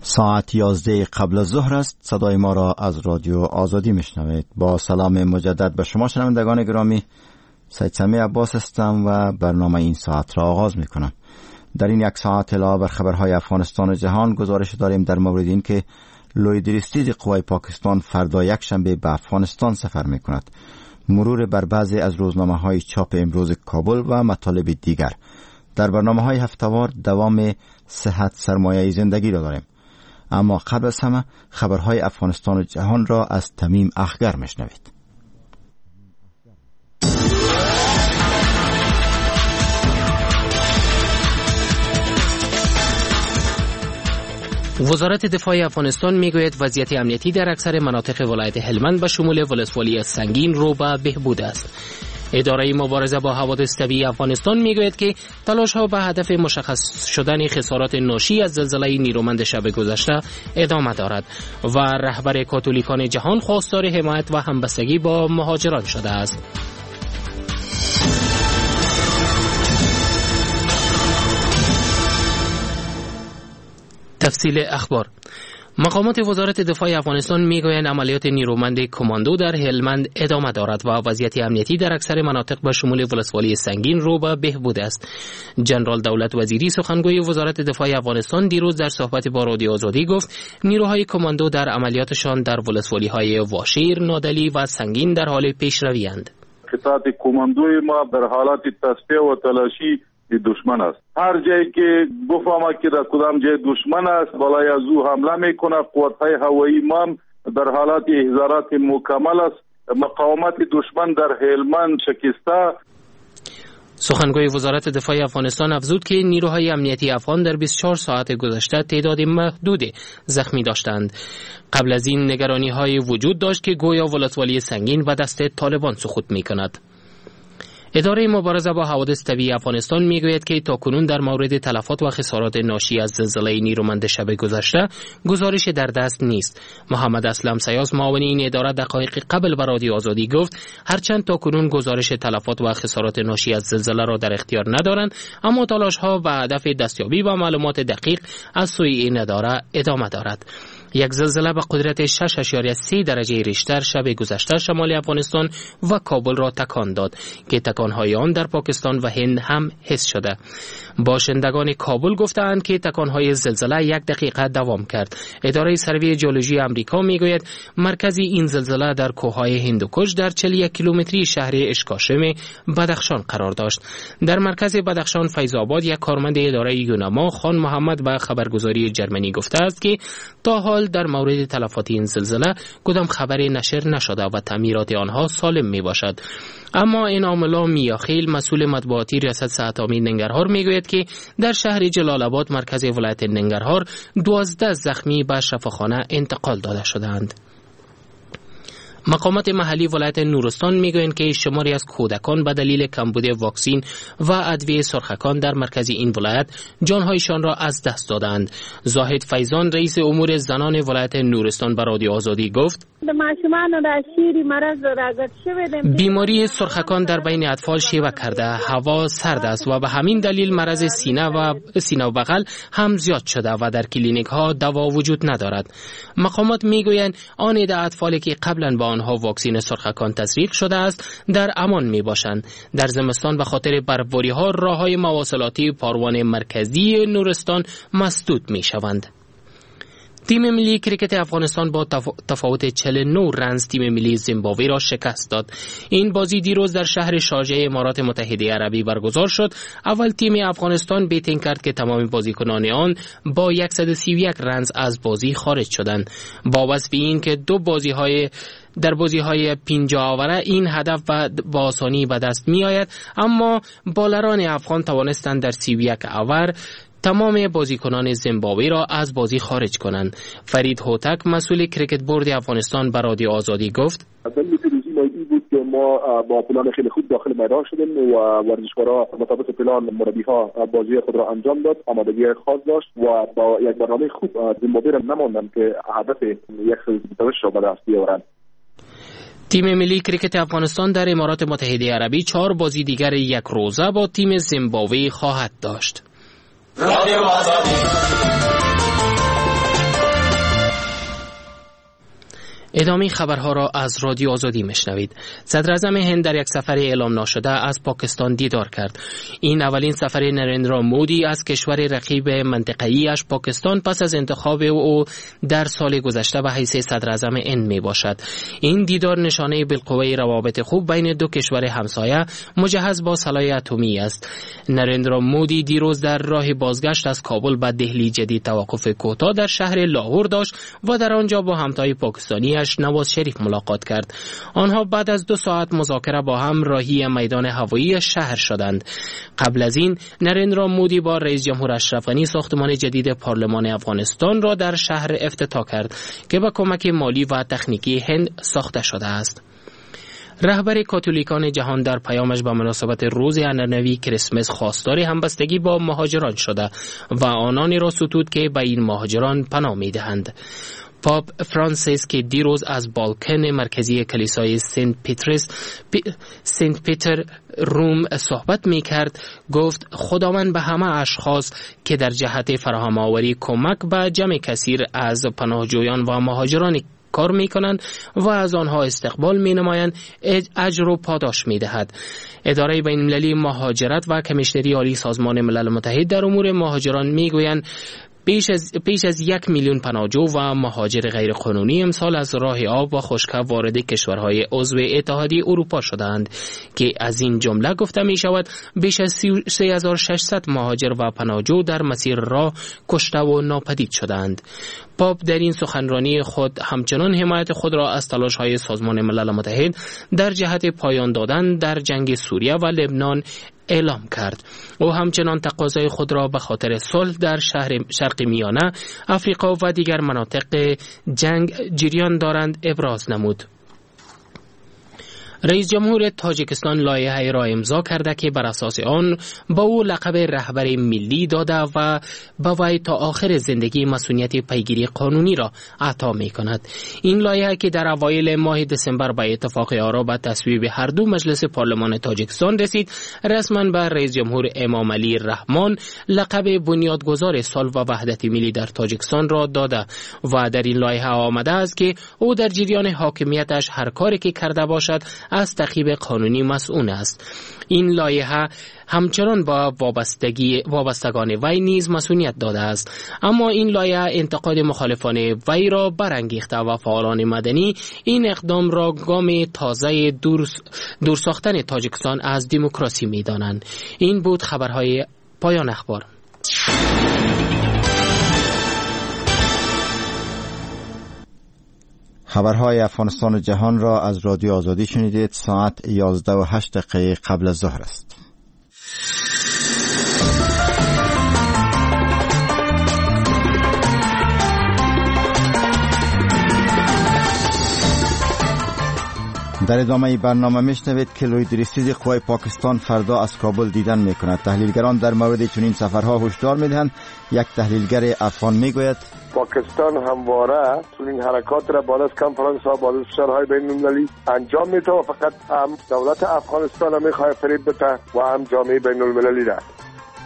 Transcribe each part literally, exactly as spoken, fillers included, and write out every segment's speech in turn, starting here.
ساعت یازده قبل از ظهر است. صدای ما را از رادیو آزادی میشنوید. با سلام مجدد به شما شنوندگان گرامی، سید سمیع عباس هستم و برنامه این ساعت را آغاز میکنم. در این یک ساعت علاوه بر خبرهای افغانستان و جهان گزارش داریم در مورد اینکه لوی درستیز قوای پاکستان فردا یک شنبه به افغانستان سفر میکند، مرور بر بعضی از روزنامه های چاپ امروز کابل و مطالب دیگر. در برنامه های هفتوار دوام صحت سرمایه زندگی را داریم. اما قبل از همه خبرهای افغانستان و جهان را از تمیم اخگر میشنوید. وزارت دفاع افغانستان میگوید وضعیت امنیتی در اکثر مناطق ولایت هلمند به شمول ولسوالی سنگین رو به بهبود است. اداره مبارزه با حوادث طبیعی افغانستان میگوید که تلاش‌ها به هدف مشخص شدن خسارات ناشی از زلزله نیرومند شب گذشته ادامه دارد و رهبر کاتولیکان جهان خواستار حمایت و همبستگی با مهاجران شده است. تفصیل اخبار. مقامات وزارت دفاع افغانستان میگویند عملیات نیرومند کماندو در هلمند ادامه دارد و وضعیت امنیتی در اکثر مناطق به شمول ولسوالی سنگین رو به بهبود است. جنرال دولت وزیری سخنگوی وزارت دفاع افغانستان دیروز در صحبت با رادیو آزادی گفت نیروهای کماندو در عملیاتشان در ولسوالی‌های واشیر، نادلی و سنگین در حال پیشروی اند. قطعات کماندوی ما در حالت تصفیه و تلاشی دشمن است. هر جایی که بفهمه که در کدام جای دشمن است بالای از او حمله میکنه. قوت‌های هوایی ما در حالت احضارات مکمل است. مقاومت دشمن در هلمند شکسته. سخنگوی وزارت دفاع افغانستان افزود که نیروهای امنیتی افغان در بیست و چهار ساعت گذشته تعداد محدود زخمی داشتند. قبل از این نگرانی‌های وجود داشت که گویا ولسوالی سنگین به دست طالبان سقوط می‌کند. اداره مبارزه با حوادث طبیعی افغانستان میگوید که تاکنون در مورد تلفات و خسارات ناشی از زلزله نیرومند شب گذشته گزارش در دست نیست. محمد اسلم سیاس معاون این اداره دقایق قبل به رادیو آزادی گفت هرچند تاکنون گزارش تلفات و خسارات ناشی از زلزله را در اختیار ندارند، اما تلاش‌ها به هدف دستیابی به معلومات دقیق از سوی این اداره ادامه دارد. یک زلزله به قدرت شش اعشاریه سه درجه ریشتر شب گذشته شمال افغانستان و کابل را تکان داد که تکانهای آن در پاکستان و هند هم حس شده. باشندگان کابل گفتند که تکانهای زلزله یک دقیقه دوام کرد. اداره سروی جیولوژی امریکا میگوید مرکز این زلزله در کوههای هندوکش در چهل و یک کیلومتری شهر اشکاشم بدخشان قرار داشت. در مرکز بدخشان فیض آباد یک کارمند اداره یوناما خان محمد به خبرگزاری جرمنی گفته است که تا حال در مورد تلفات این زلزله کدام خبری نشر نشده و تعمیرات آنها سالم می باشد. اما انعام الله میاخیل مسئول مطبوعاتی ریاست صحت عامه ننگرهار میگوید که در شهر جلال آباد مرکز ولایت ننگرهار دوازده زخمی به شفاخانه انتقال داده شدند. مقامات محلی ولایت نورستان میگویند که شماری از کودکان به دلیل کمبود واکسین و ادویه سرخکان در مرکز این ولایت جانهایشان را از دست دادند. زاهد فیضان رئیس امور زنان ولایت نورستان به رادیو آزادی گفت بیماری سرخکان در بین اطفال شیوع کرده، هوا سرد است و به همین دلیل مرض سینه و سینه و بغل هم زیاد شده و در کلینیک ها دوا وجود ندارد. مقامات میگویند آن عده اطفالی که قبلا با آنها واکسین سرخکان تزریق شده است در امان می باشند. در زمستان به خاطر برفباری ها راه های مواصلاتی پاروان مرکزی نورستان مسدود می شوند. تیم ملی کرکت افغانستان با تفاوت چهل و نه رنز تیم ملی زیمبابوه را شکست داد. این بازی دیروز در شهر شارجه امارات متحده عربی برگزار شد. اول تیم افغانستان بیتینگ کرد که تمام بازیکنان آن با صد و سی و یک رنز از بازی خارج شدند. با وصف این که دو بازی‌های در بازی‌های پنجاه آوره این هدف با آسانی به دست می‌آید، اما بالران افغان توانستند در سی و یک آور تمام بازیکنان زیمبابوه را از بازی خارج کنند. فرید هوتک مسئول کرکت بورد افغانستان به رادیو آزادی گفت: دلیل پیروزی ما این بود که ما با پلان خیلی خوب داخل میدان شدیم و ورزشکارا مطابق پلان مربی‌ها بازی خود را انجام داد، آمادگی خاص داشت و با یک برنامه خوب زیمبابوه را نماندند که هدف صد و بیست و هشت را به دست بیاورند. تیم ملی کرکت افغانستان در امارات متحده عربی چهار بازی دیگر یک روزه با تیم زیمبابوه خواهد داشت. رادیو آزادی. ادامه خبرها را از رادیو آزادی میشنوید. صدراعظم هند در یک سفر اعلام ناشده از پاکستان دیدار کرد. این اولین سفر نریندرا مودی از کشور رقیب منطقه‌ایش پاکستان پس از انتخاب او در سال گذشته به حیث صدراعظم هند می باشد. این دیدار نشانه بالقوه روابط خوب بین دو کشور همسایه مجهز با سلاح اتمی است. نریندرا مودی دیروز در راه بازگشت از کابل به دهلی جدید توقف کوتاه در شهر لاهور داشت و در آنجا با همتای پاکستانی نواز شریف ملاقات کرد. آنها بعد از دو ساعت مذاکره با هم راهی میدان هوایی شهر شدند. قبل از این نریندرا مودی با رئیس جمهور اشرف غنی ساختمان جدید پارلمان افغانستان را در شهر افتتاح کرد که با کمک مالی و تکنیکی هند ساخته شده است. رهبر کاتولیکان جهان در پیامش به مناسبت روز عنعنوی کریسمس خواستار همبستگی با مهاجران شده و آنانی را ستود که به این مهاجران پناه می‌دهند. پاپ فرانسیس که دیروز از بالکن مرکزی کلیسای سنت پیترس پی سنت پیتر روم صحبت می کرد گفت خداوند به همه اشخاص که در جهت فراهم آوری کمک به جمع کثیر از پناهجویان و مهاجران کار می کنند و از آنها استقبال می نمایند اجر و پاداش می دهد. اداره بین المللی مهاجرت و کمیشنری عالی سازمان ملل متحد در امور مهاجران می گویند بیش از, بیش از یک میلیون پناهجو و مهاجر غیرقانونی امسال از راه آب و خشکه وارد کشورهای عضو اتحادیه اروپا شدند که از این جمله گفته می شود بیش از سه هزار و ششصد مهاجر و پناهجو در مسیر راه کشته و ناپدید شدند. پاپ در این سخنرانی خود همچنان حمایت خود را از تلاش‌های سازمان ملل متحد در جهت پایان دادن در جنگ سوریه و لبنان اعلام کرد. او همچنان تقاضای خود را به خاطر صلح در شهر شرق میانه، افریقا و دیگر مناطق جنگ جریان دارند ابراز نمود. رئیس جمهور تاجیکستان لایحه را امضا کرده که بر اساس آن با او لقب رهبر ملی داده و به وی تا آخر زندگی مسئولیت پیگیری قانونی را عطا می کند. این لایحه که در اوایل ماه دسامبر به اتفاق آرا به تصویب هر دو مجلس پارلمان تاجیکستان رسید، رسما به رئیس جمهور امام علی رحمان لقب بنیادگذار صلح و وحدت ملی در تاجیکستان را داده و در این لایحه آمده است که او در جریان حاکمیتش هر کاری که کرده باشد از تعقیب قانونی مسئول است. این لایحه همچنان با وابستگی وابستگان وی نیز مسئولیت داده است، اما این لایحه انتقاد مخالفان وی را برانگیخته و فعالان مدنی این اقدام را گام تازه دور, دور ساختن تاجیکستان از دموکراسی می‌دانند. این بود خبرهای پایان اخبار. خبرهای افغانستان و جهان را از رادیو آزادی شنیدید. ساعت یازده و هشت دقیقه قبل از ظهر است. در ادامه برنامه میشنوید که لوی درستیز قوای پاکستان فردا از کابل دیدن میکند. تحلیلگران در مورد چنین سفرها هشدار میدهند. یک تحلیلگر افغان میگوید پاکستان همواره چنین حرکات را بعد از کنفرانس ها، بعد از فشارهای بین المللی انجام میده و فقط هم دولت افغانستان میخواد فریب بده و هم جامعه بین المللی را.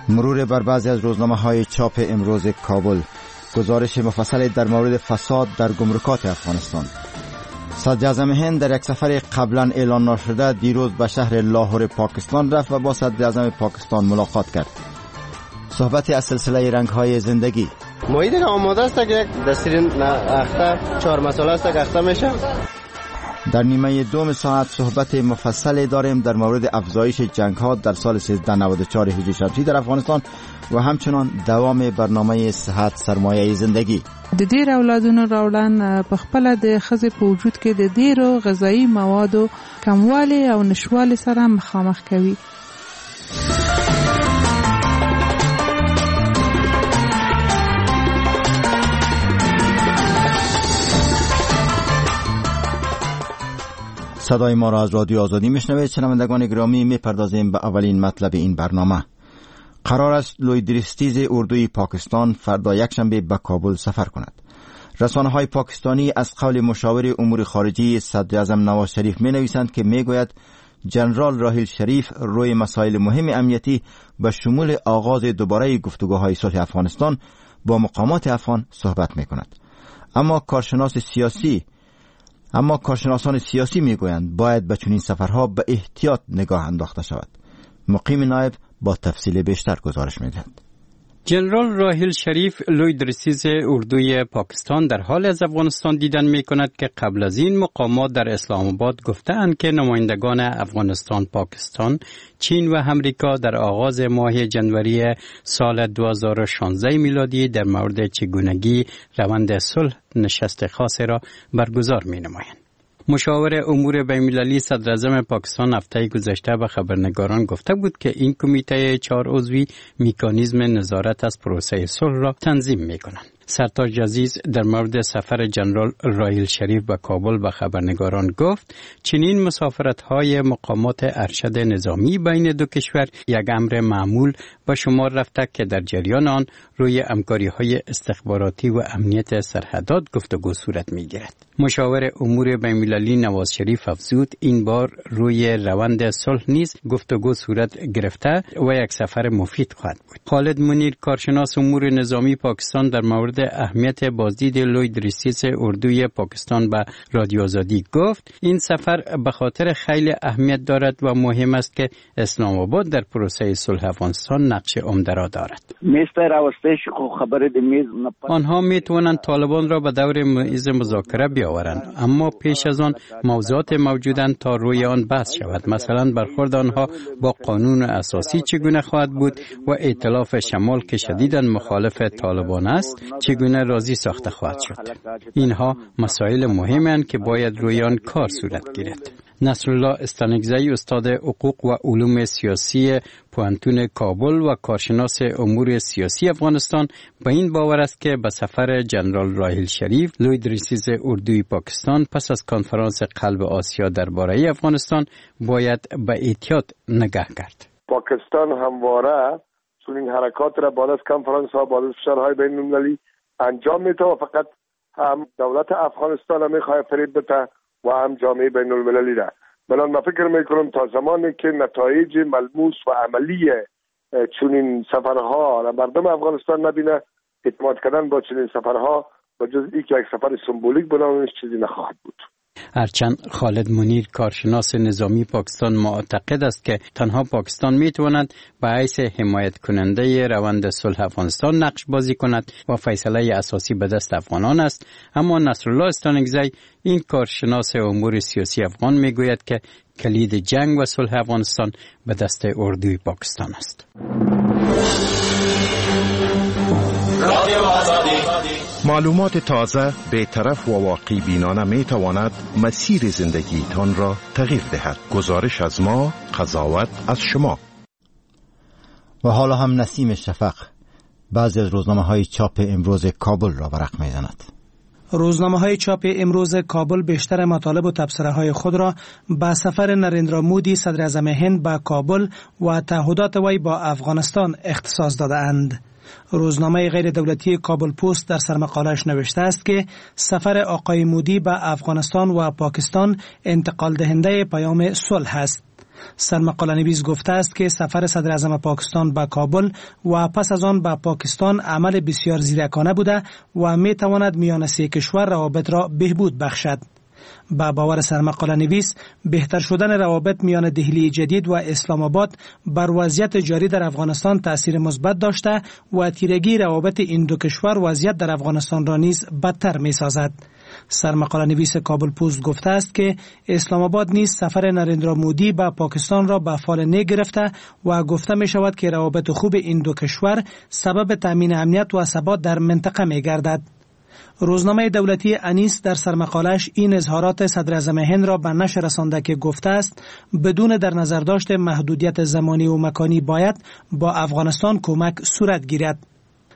مرور بر بعضی از روزنامه های چاپ امروز کابل، گزارش مفصل در مورد فساد در گمرکات افغانستان. صدراعظم هند در یک سفر قبلا اعلان نشده دیروز به شهر لاهور پاکستان رفت و با صدراعظم پاکستان ملاقات کرد. صحبت از سلسله رنگ‌های زندگی. ماهی دیگه آماده است که یک دستیر اخته چهار مساله است که اخته میشه. در نیمه دوم ساعت صحبت مفصل داریم در مورد افزایش جنگ‌ها در سال سیزده نود و چهار هجری شمسی در افغانستان و همچنان دوام برنامه صحت سرمایه زندگی. د ډیر اولادونو راوړن په خپل د خزې په وجود کې د ډیرو غذایی موادو کموالی او نشوالي سره مخامخ کوي. صدای ما را از رادیو آزادی میشنوید. شنوندگان گرامی، میپردازیم به اولین مطلب این برنامه. قرار است لوی درستیز اردوی پاکستان فردا یکشنبه به کابل سفر کند. رسانه‌های پاکستانی از قول مشاور امور خارجی صدراعظم نواز شریف می‌نویسند که میگوید جنرال راحیل شریف روی مسائل مهم امنیتی به شمول آغاز دوباره گفتگوهای صلح افغانستان با مقامات افغان صحبت می‌کند. اما کارشناس سیاسی اما کارشناسان سیاسی میگویند باید به چنین سفرها به احتیاط نگاه انداخته شود. مقیم نایب با تفصیل بیشتر گزارش میدهد. جنرال راحیل شریف، لوی درستیز اردوی پاکستان، در حالی از افغانستان دیدن می کند که قبل از این مقامات در اسلام آباد گفتند که نمایندگان افغانستان، پاکستان، چین و امریکا در آغاز ماه جنوری سال دو هزار و شانزده میلادی در مورد چگونگی روند صلح نشست خاص را برگزار می نمایند. مشاور امور بین‌المللی صدراعظم پاکستان هفته گذشته به خبرنگاران گفته بود که این کمیته چهار عضوی میکانیزم نظارت از پروسه صلح را تنظیم می کنند. سرتاج عزیز در مورد سفر جنرال راحیل شریف به کابل به خبرنگاران گفت چنین مسافرت های مقامات ارشد نظامی بین دو کشور یک امر معمول به شمار رفته که در جریان آن روی همکاری های استخباراتی و امنیت سرحدات گفتگو صورت می گیرد. مشاور امور بین‌المللی نواز شریف افزود این بار روی روند صلح نیز گفتگو صورت گرفته و یک سفر مفید خواهد بود. خالد منیر، کارشناس امور نظامی پاکستان، در مورد اهمیت بازدید لوی درستیز اردوی پاکستان به رادیو آزادی گفت این سفر به خاطر خیلی اهمیت دارد و مهم است که اسلام آباد در پروسه صلح افغانستان نقش عمده را دارد. آنها می توانند طالبان را به دور میز مذاکره بیاورند، اما پیش از آن موضوعات موجودند تا روی آن بحث شود. مثلا برخورد آنها با قانون اساسی چگونه خواهد بود و ائتلاف شمال که شدیدا مخالف طالبان است چگونه راضی ساخته خواهد شد. اینها مسائل مهمند که باید روی آن کار صورت گیرد. نصرالله استانکزی، استاد حقوق و علوم سیاسی پوهنتون کابل و کارشناس امور سیاسی افغانستان، به این باور است که به سفر جنرال راحیل شریف، لوی درستیز اردوی پاکستان، پس از کنفرانس قلب آسیا درباره افغانستان باید به احتیاط نگاه کرد. پاکستان همواره چنین حرکات را بعد از کنفرانس ها، بعد از فشارهای بین المللی انجام میده و فقط هم دولت افغانستان میخواد فریب بده و هم جامعه بین المللی را. بنابراین من فکر میکنم تا زمانی که نتایج ملموس و عملی چنین سفرها را مردم افغانستان نبینه، اعتماد کردن با چنین سفرها و جز ای که یک سفر سمبولیک بنامش چیزی نخواهد بود. هرچند خالد منیر، کارشناس نظامی پاکستان، معتقد است که تنها پاکستان می تواند به حیث حمایت کننده روند صلح افغانستان نقش بازی کند و فیصله اساسی به دست افغانان است، اما نصرالله استانکزی، این کارشناس امور سیاسی افغان، می گوید که کلید جنگ و صلح افغانستان به دست اردوی پاکستان است. معلومات تازه، بیطرف و واقع بینانه می تواند مسیر زندگیتان را تغییر دهد. گزارش از ما، قضاوت از شما. و حالا هم نسیم شفق بعضی از روزنامه های چاپ امروز کابل را ورق می زند. روزنامه های چاپ امروز کابل بیشتر مطالب و تبصره های خود را به سفر نریندرا مودی، صدر اعظم هند، به کابل و تعهدات وی با افغانستان اختصاص داده اند. روزنامه غیر دولتی کابل پست در سرمقالش نوشته است که سفر آقای مودی به افغانستان و پاکستان انتقال دهنده پیام صلح است. سرمقاله نویس گفته است که سفر صدر اعظم پاکستان به کابل و پس از آن به پاکستان عمل بسیار زیرکانه بوده و می تواند میان سه کشور روابط را بهبود بخشد. به باور سرمقاله نویس، بهتر شدن روابط میان دهلی جدید و اسلام آباد بر وضعیت جاری در افغانستان تاثیر مثبت داشته و تیرگی روابط این دو کشور وضعیت در افغانستان را نیز بدتر می سازد. سرمقاله نویس کابل پست گفته است که اسلام آباد نیز سفر نریندرا مودی به پاکستان را به فال نیک گرفته و گفته می شود که روابط خوب این دو کشور سبب تامین امنیت و ثبات در منطقه می گردد. روزنامه دولتی انیس در سرمقالش این اظهارات صدر اعظم هند را به نشر رسانده که گفته است بدون در نظر داشت محدودیت زمانی و مکانی باید با افغانستان کمک صورت گیرد.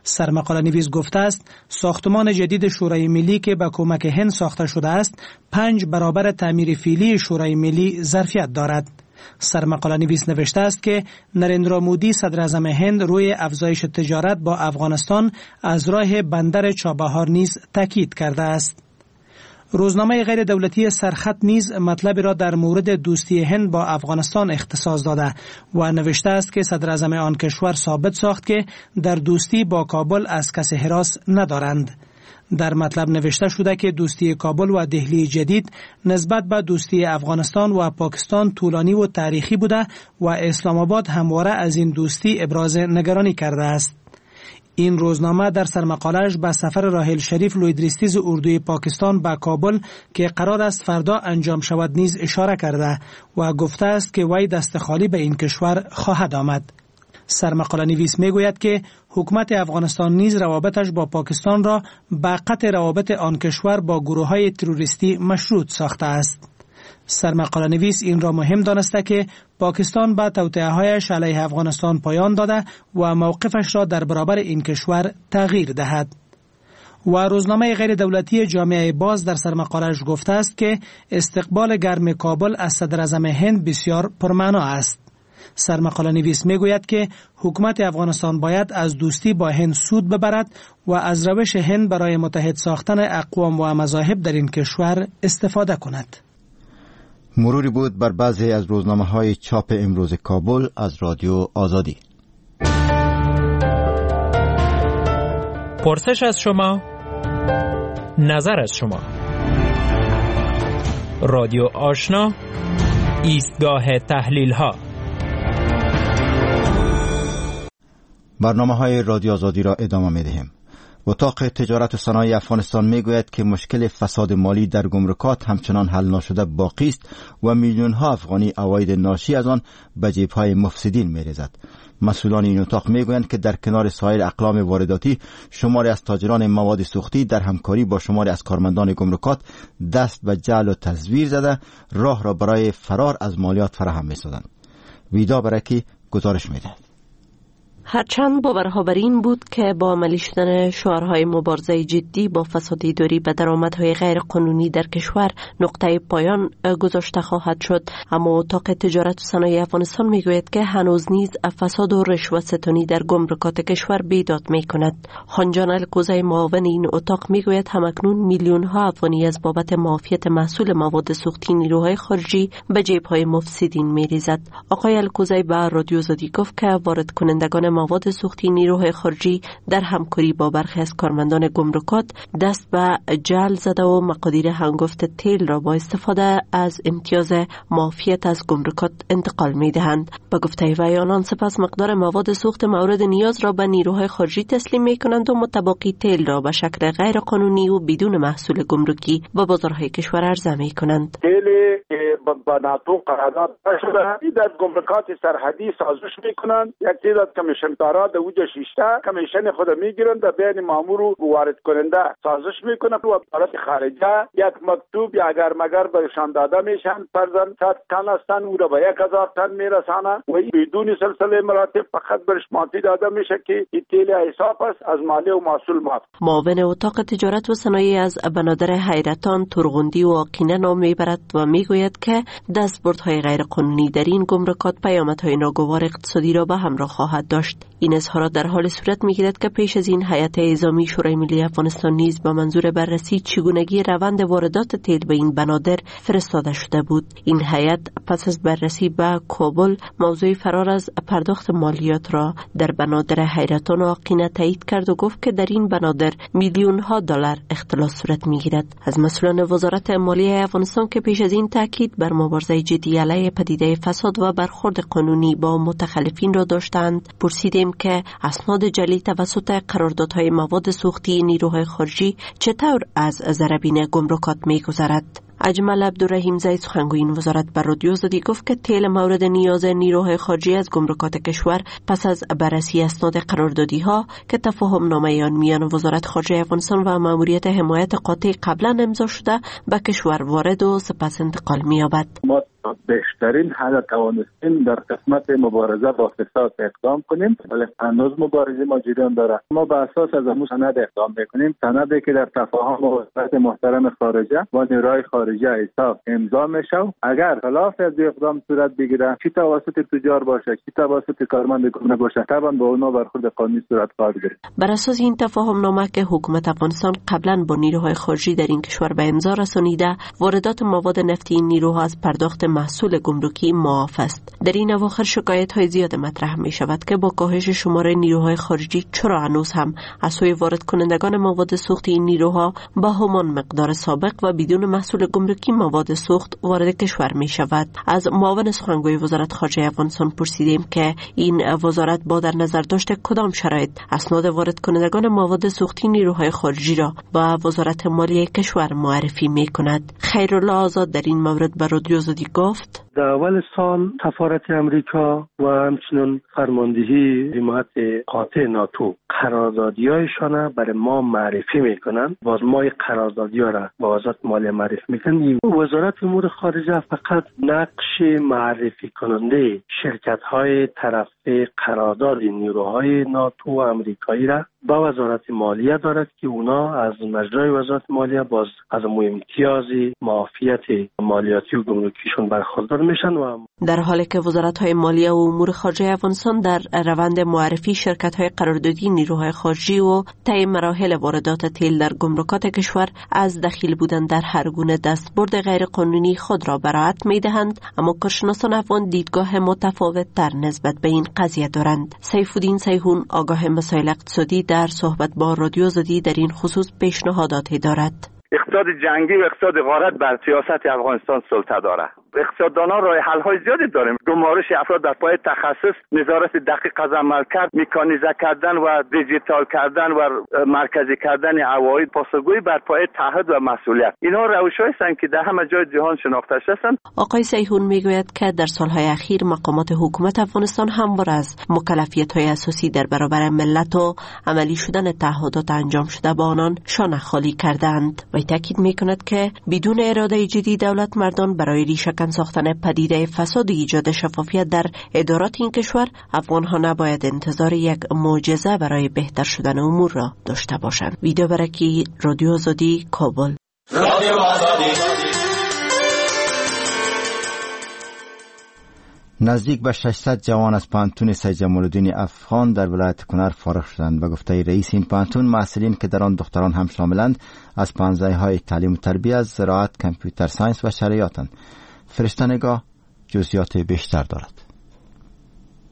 سرمقاله نویس گفته است ساختمان جدید شورای ملی که به کمک هند ساخته شده است، پنج برابر تعمیر فعلی شورای ملی ظرفیت دارد. سرمقاله نویس نوشته است که نریندرا مودی، صدر اعظم هند، روی افزایش تجارت با افغانستان از راه بندر چابهار نیز تاکید کرده است. روزنامه غیر دولتی سرخط نیز مطلب را در مورد دوستی هند با افغانستان اختصاص داده و نوشته است که صدر اعظم آن کشور ثابت ساخت که در دوستی با کابل از کسی هراس ندارند. در مطلب نوشته شده که دوستی کابل و دهلی جدید نسبت به دوستی افغانستان و پاکستان طولانی و تاریخی بوده و اسلام آباد همواره از این دوستی ابراز نگرانی کرده است. این روزنامه در سرمقاله‌اش به سفر راحیل شریف لوی درستیز اردوی پاکستان به کابل که قرار است فردا انجام شود نیز اشاره کرده و گفته است که وی دست خالی به این کشور خواهد آمد. سرمقاله نویس میگوید که حکومت افغانستان نیز روابطش با پاکستان را به قطع روابط آن کشور با گروه‌های تروریستی مشروط ساخته است. سرمقاله نویس این را مهم دانسته که پاکستان به توطئه‌هایش علیه افغانستان پایان داده و موقفش را در برابر این کشور تغییر دهد. و روزنامه غیر دولتی جامعه باز در سرمقاله‌اش گفته است که استقبال گرم کابل از صدراعظم هند بسیار پرمعنا است. سرمقاله نویس میگوید که حکومت افغانستان باید از دوستی با هند سود ببرد و از روش هند برای متحد ساختن اقوام و مذاهب در این کشور استفاده کند. مروری بود بر بعضی از روزنامه‌های چاپ امروز کابل از رادیو آزادی. پرسش از شما، نظر از شما. رادیو آشنا، ایستگاه تحلیل ها. برنامه های رادیو آزادی را ادامه می دهیم. اتاق تجارت و صنایع افغانستان می گوید که مشکل فساد مالی در گمرکات همچنان حل ناشده باقی است و میلیون ها افغانی عواید ناشی از آن به جیب های مفسدین می ریزد. مسئولان این اتاق می گویند که در کنار سایر اقلام وارداتی شماری از تاجران مواد سوختی در همکاری با شماری از کارمندان گمرکات دست به جعل و تزویر زده راه را برای فرار از مالیات فراهم می سازند. ویدا برکی گزارش می دهد. هرچند باورها بر این بود که با عملی شدن شعارهای مبارزه جدی با فساد اداری به درآمدهای غیر قانونی در کشور نقطه پایان گذاشته خواهد شد، اما اتاق تجارت و صنایع افغانستان میگوید که هنوز نیز فساد و رشوه ستانی در گمرکات کشور بیداد میکند. خانجان الکوزی معاون این اتاق میگوید همکنون میلیون ها افغانی از بابت معافیت محصول مواد سوختی نیروهای خارجی به جیب‌های مفسدین میریزد. آقای الکوزی به رادیو آزادی گفت که وارد کنندگان مواد سوختی نیروهای خارجی در همکاری با برخی از کارمندان گمرکات دست به جعل زده و مقادیر هنگفت تیل را با استفاده از امتیاز معافیت از گمرکات انتقال می دهند. به گفته وی آنان سپس مقدار مواد سوخت مورد نیاز را به نیروهای خارجی تسلیم می کنند و متباقی تیل را به شکل غیر قانونی و بدون محصول گمرکی به بازارهای کشور عرضه می کنند. با ناتو قرارداد شده در گمرکات سرحدی سازش میکنند، یک تعداد کمیشن دارا در اوجه شیشته کمیشن خود میگیرند، در بین مامور و وارد کننده سازش میکنه و وزارت خارجه یک مکتوب یا اگر مگر برشان داده میشن، فرضاً صد تن هستن او را به یک هزار تن میرسانه و بدون سلسله مراتب فقط برش ماتی داده میشه که این تیل حساب است از مالی و محصول معاف. معاون اتاق تجارت و صنایع از بنادر حیرتان، ترغندی و آقینه نام میبرد و میگوید که دستبردهای غیرقانونی در این گمرکات پیامدهای ناگوار اقتصادی را به همراه خواهد داشت. این اظهارات در حال صورت میگیرد که پیش از این هیئت اعزامی شورای ملی افغانستان نیز به منظور بررسی چگونگی روند واردات تیل به این بنادر فرستاده شده بود. این هیئت پس از بررسی به کابل موضوع فرار از پرداخت مالیات را در بنادر حیرتان و آقینه تایید کرد و گفت که در این بنادر میلیون ها دلار اختلاس صورت میگیرد. از مسئولان وزارت مالیه افغانستان که پیش از این تاکید بر مبارزه جدی علیه پدیده فساد و برخورد قانونی با متخلفین را داشتند، پرسیدیم که اسناد جعلی توسط قراردادهای مواد سوختی نیروهای خارجی چطور از ضربین گمرکات می‌گذرد. اجمل عبدالرحیم زید سخنگوی این وزارت بر رادیو آزادی گفت که تیل مورد نیاز نیروهای خارجی از گمرکات کشور پس از بررسی اسناد قراردادی ها که تفاهم نامه آن میان وزارت خارجه افغانستان و ماموریت حمایت قاطع قبلا امضا شده به کشور وارد و سپس انتقال می‌یابد. ما بهترین حد توانستیم در قسمت مبارزه با فساد اقدام کنیم، ولی هنوز مبارزه ما جریان داره. ما به اساس از امو سند اقدام میکنیم، سندی که در تفاهم وزارت محترم خارجه با نیروهای خارجه ایساف امضا میشه. اگر خلاف از اقدام صورت بگیره، چی توسط تجار باشه چی توسط کارمند گمرک باشه، طبعا با اونا برخورد قانونی صورت خواهد گرفت. بر اساس این تفاهم نامه که حکومت افغانستان قبلا با نیروهای خارجی در این کشور به امضا رسانیده، واردات مواد نفتی این نیروها از پرداخت محصول گمرکی معاف است. در این اواخر شکایت های زیاد مطرح می شود که با کاهش شمار نیروهای خارجی چرا هنوز هم از سوی وارد کنندگان مواد سوختی این نیروها با همان مقدار سابق و بدون محصول گمرکی مواد سوخت وارد کشور می شود. از معاون سخنگوی وزارت خارجه افغانستان پرسیدیم که این وزارت با در نظر داشت کدام شرایط اسناد وارد کنندگان مواد سوختی نیروهای خارجی را با وزارت مالیه کشور معرفی می کند. خیرالله آزاد در این مورد به رادیو آزادی گفت: در اول سال سفارت امریکا و همچنین فرماندهی حمایت قاطع ناتو قراردادی‌هایشان برای ما معرفی میکنن. باز ما قراردادی‌ها را با وزارت مالیه معرفی میکنن. وزارت امور خارجه فقط نقش معرفی کننده شرکت‌های طرف قرارداد نیروهای ناتو و امریکایی را با وزارت مالیه دارد که اونا از مجرای وزارت مالیه باز از امتیاز معافیت مالیاتی و گمرکیشون برخوردار میشن. و در حالی که وزارت‌های مالیه و امور خارجه افغانستان در روند معرفی شرکت‌های قراردادی نیروهای خارجی و طی مراحل واردات تیل در گمرکات کشور از دخیل بودن در هر گونه دستبرد غیرقانونی خود را برائت می‌دهند، اما کارشناسان افغان دیدگاه متفاوت‌تر نسبت به این قضیه دارند. سیف‌الدین سیحون، آگاه مسائل اقتصادی، در صحبت با رادیو آزادی در این خصوص پیشنهاداتی دارد. اقتصاد جنگی و اقتصاد غارت بر سیاست افغانستان سلطه دارد. اقتصاددانان راه حل های زیادی داریم. گمارش افراد در پای تخصص، نظارت دقیق از عملکرد، مکانیزه کردن و دیجیتال کردن و مرکزی کردن عواید، پاسخگویی بر پای تعهد و مسئولیت. اینها روش‌هایی هستند که در همه جای جهان شناخته شده‌اند. آقای سیحون میگوید که در سالهای اخیر مقامات حکومت افغانستان همواره از مکلفیت‌های اساسی در برابر ملت و عملی شدن تعهدات انجام شده با آنان شانه خالی کردند. و تاکید میکند که بدون اراده جدی دولت مردان برای ریشه کن ساختن پدیده فساد و ایجاد شفافیت در ادارات این کشور، افغانها نباید انتظار یک معجزه برای بهتر شدن امور را داشته باشند. ویدیو برکی، رادیو آزادی، کابل. رادیو آزادی. نزدیک به ششصد جوان از پوهنتون سید جمال‌الدین افغان در ولایت کنر فارغ شدند. به گفته رئیس این پوهنتون، محصلین که در آن دختران هم شاملند از پوهنځی‌های تعلیم و تربیت، زراعت، computer science و شرعیاتند. فرشته نگاه جزئیات بیشتر دارد.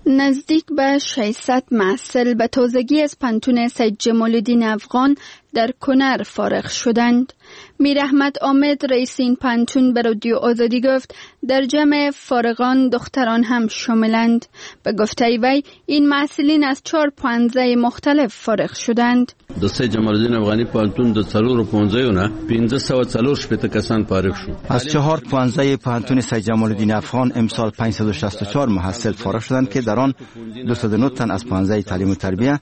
نزدیک به ششصد محصل به تازگی از پوهنتون سید جمال‌الدین افغان در کنر فارغ شدند. میر احمد آمد، رئیس این پوهنتون، به رادیو آزادی گفت در جمع فارغان دختران هم شاملند. به گفته وی این محصلین از چهار پوهنځی مختلف فارغ شدند. د سید جمال‌الدین افغانی پوهنتون د څلورو پوهنځیو نه پنځه سوه څلور شپېته کسان فارغ شو. از چهار پوهنځی پوهنتون سید جمال‌الدین افغان امسال پانصد و شصت و چهار محصل فارغ شدند که در آن دویست و نه تن از پوهنځی تعلیم و تربیه،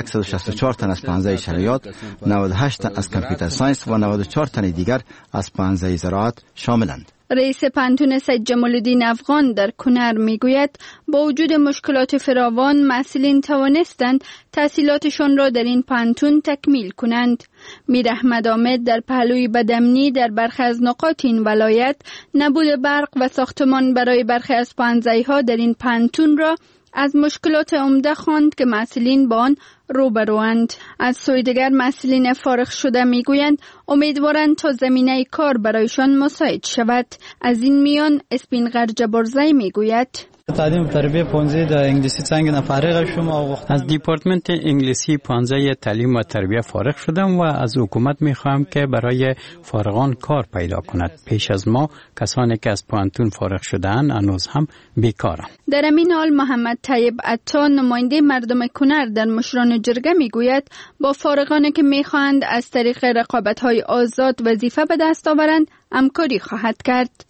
صد و شصت و چهار تن از پوهنځی شرعیات، نود و هشت تن از computer science و نود و چهار تن دیگر از پوهنځی زراعت شاملند. رئیس پوهنتون سید جمال‌الدین افغان در کنر میگوید با وجود مشکلات فراوان محصلین توانستند تحصیلاتشان را در این پوهنتون تکمیل کنند. میر احمد آمد در پهلوی بدامنی در برخی از نقاط این ولایت، نبود برق و ساختمان برای برخی از پوهنځی‌ها در این پوهنتون را از مشکلات عمده خواند که محصلین با آن روبروند. از سوی دیگر محصلین فارغ شده میگویند امیدوارند تا زمینه کار برایشان مساعد شود. از این میان اسپینغر جبارزی میگوید: تعلیم تربیه پوهنځی د انگلیسی څانګې نه فارغ شوم. از دیپارتمنت انگلیسی پوهنځی تعلیم و تربیه فارغ شدم و از حکومت میخواهم که برای فارغان کار پیدا کند. پیش از ما کسانی که از پوهنتون فارغ شده‌اند هنوز هم بیکارند. در همین حال محمد طیب عطا، نماینده مردم کنر در مشران جرگه، میگوید با فارغانی که میخواهند از طریق رقابت‌های آزاد وظیفه به دست آورند همکاری خواهد کرد.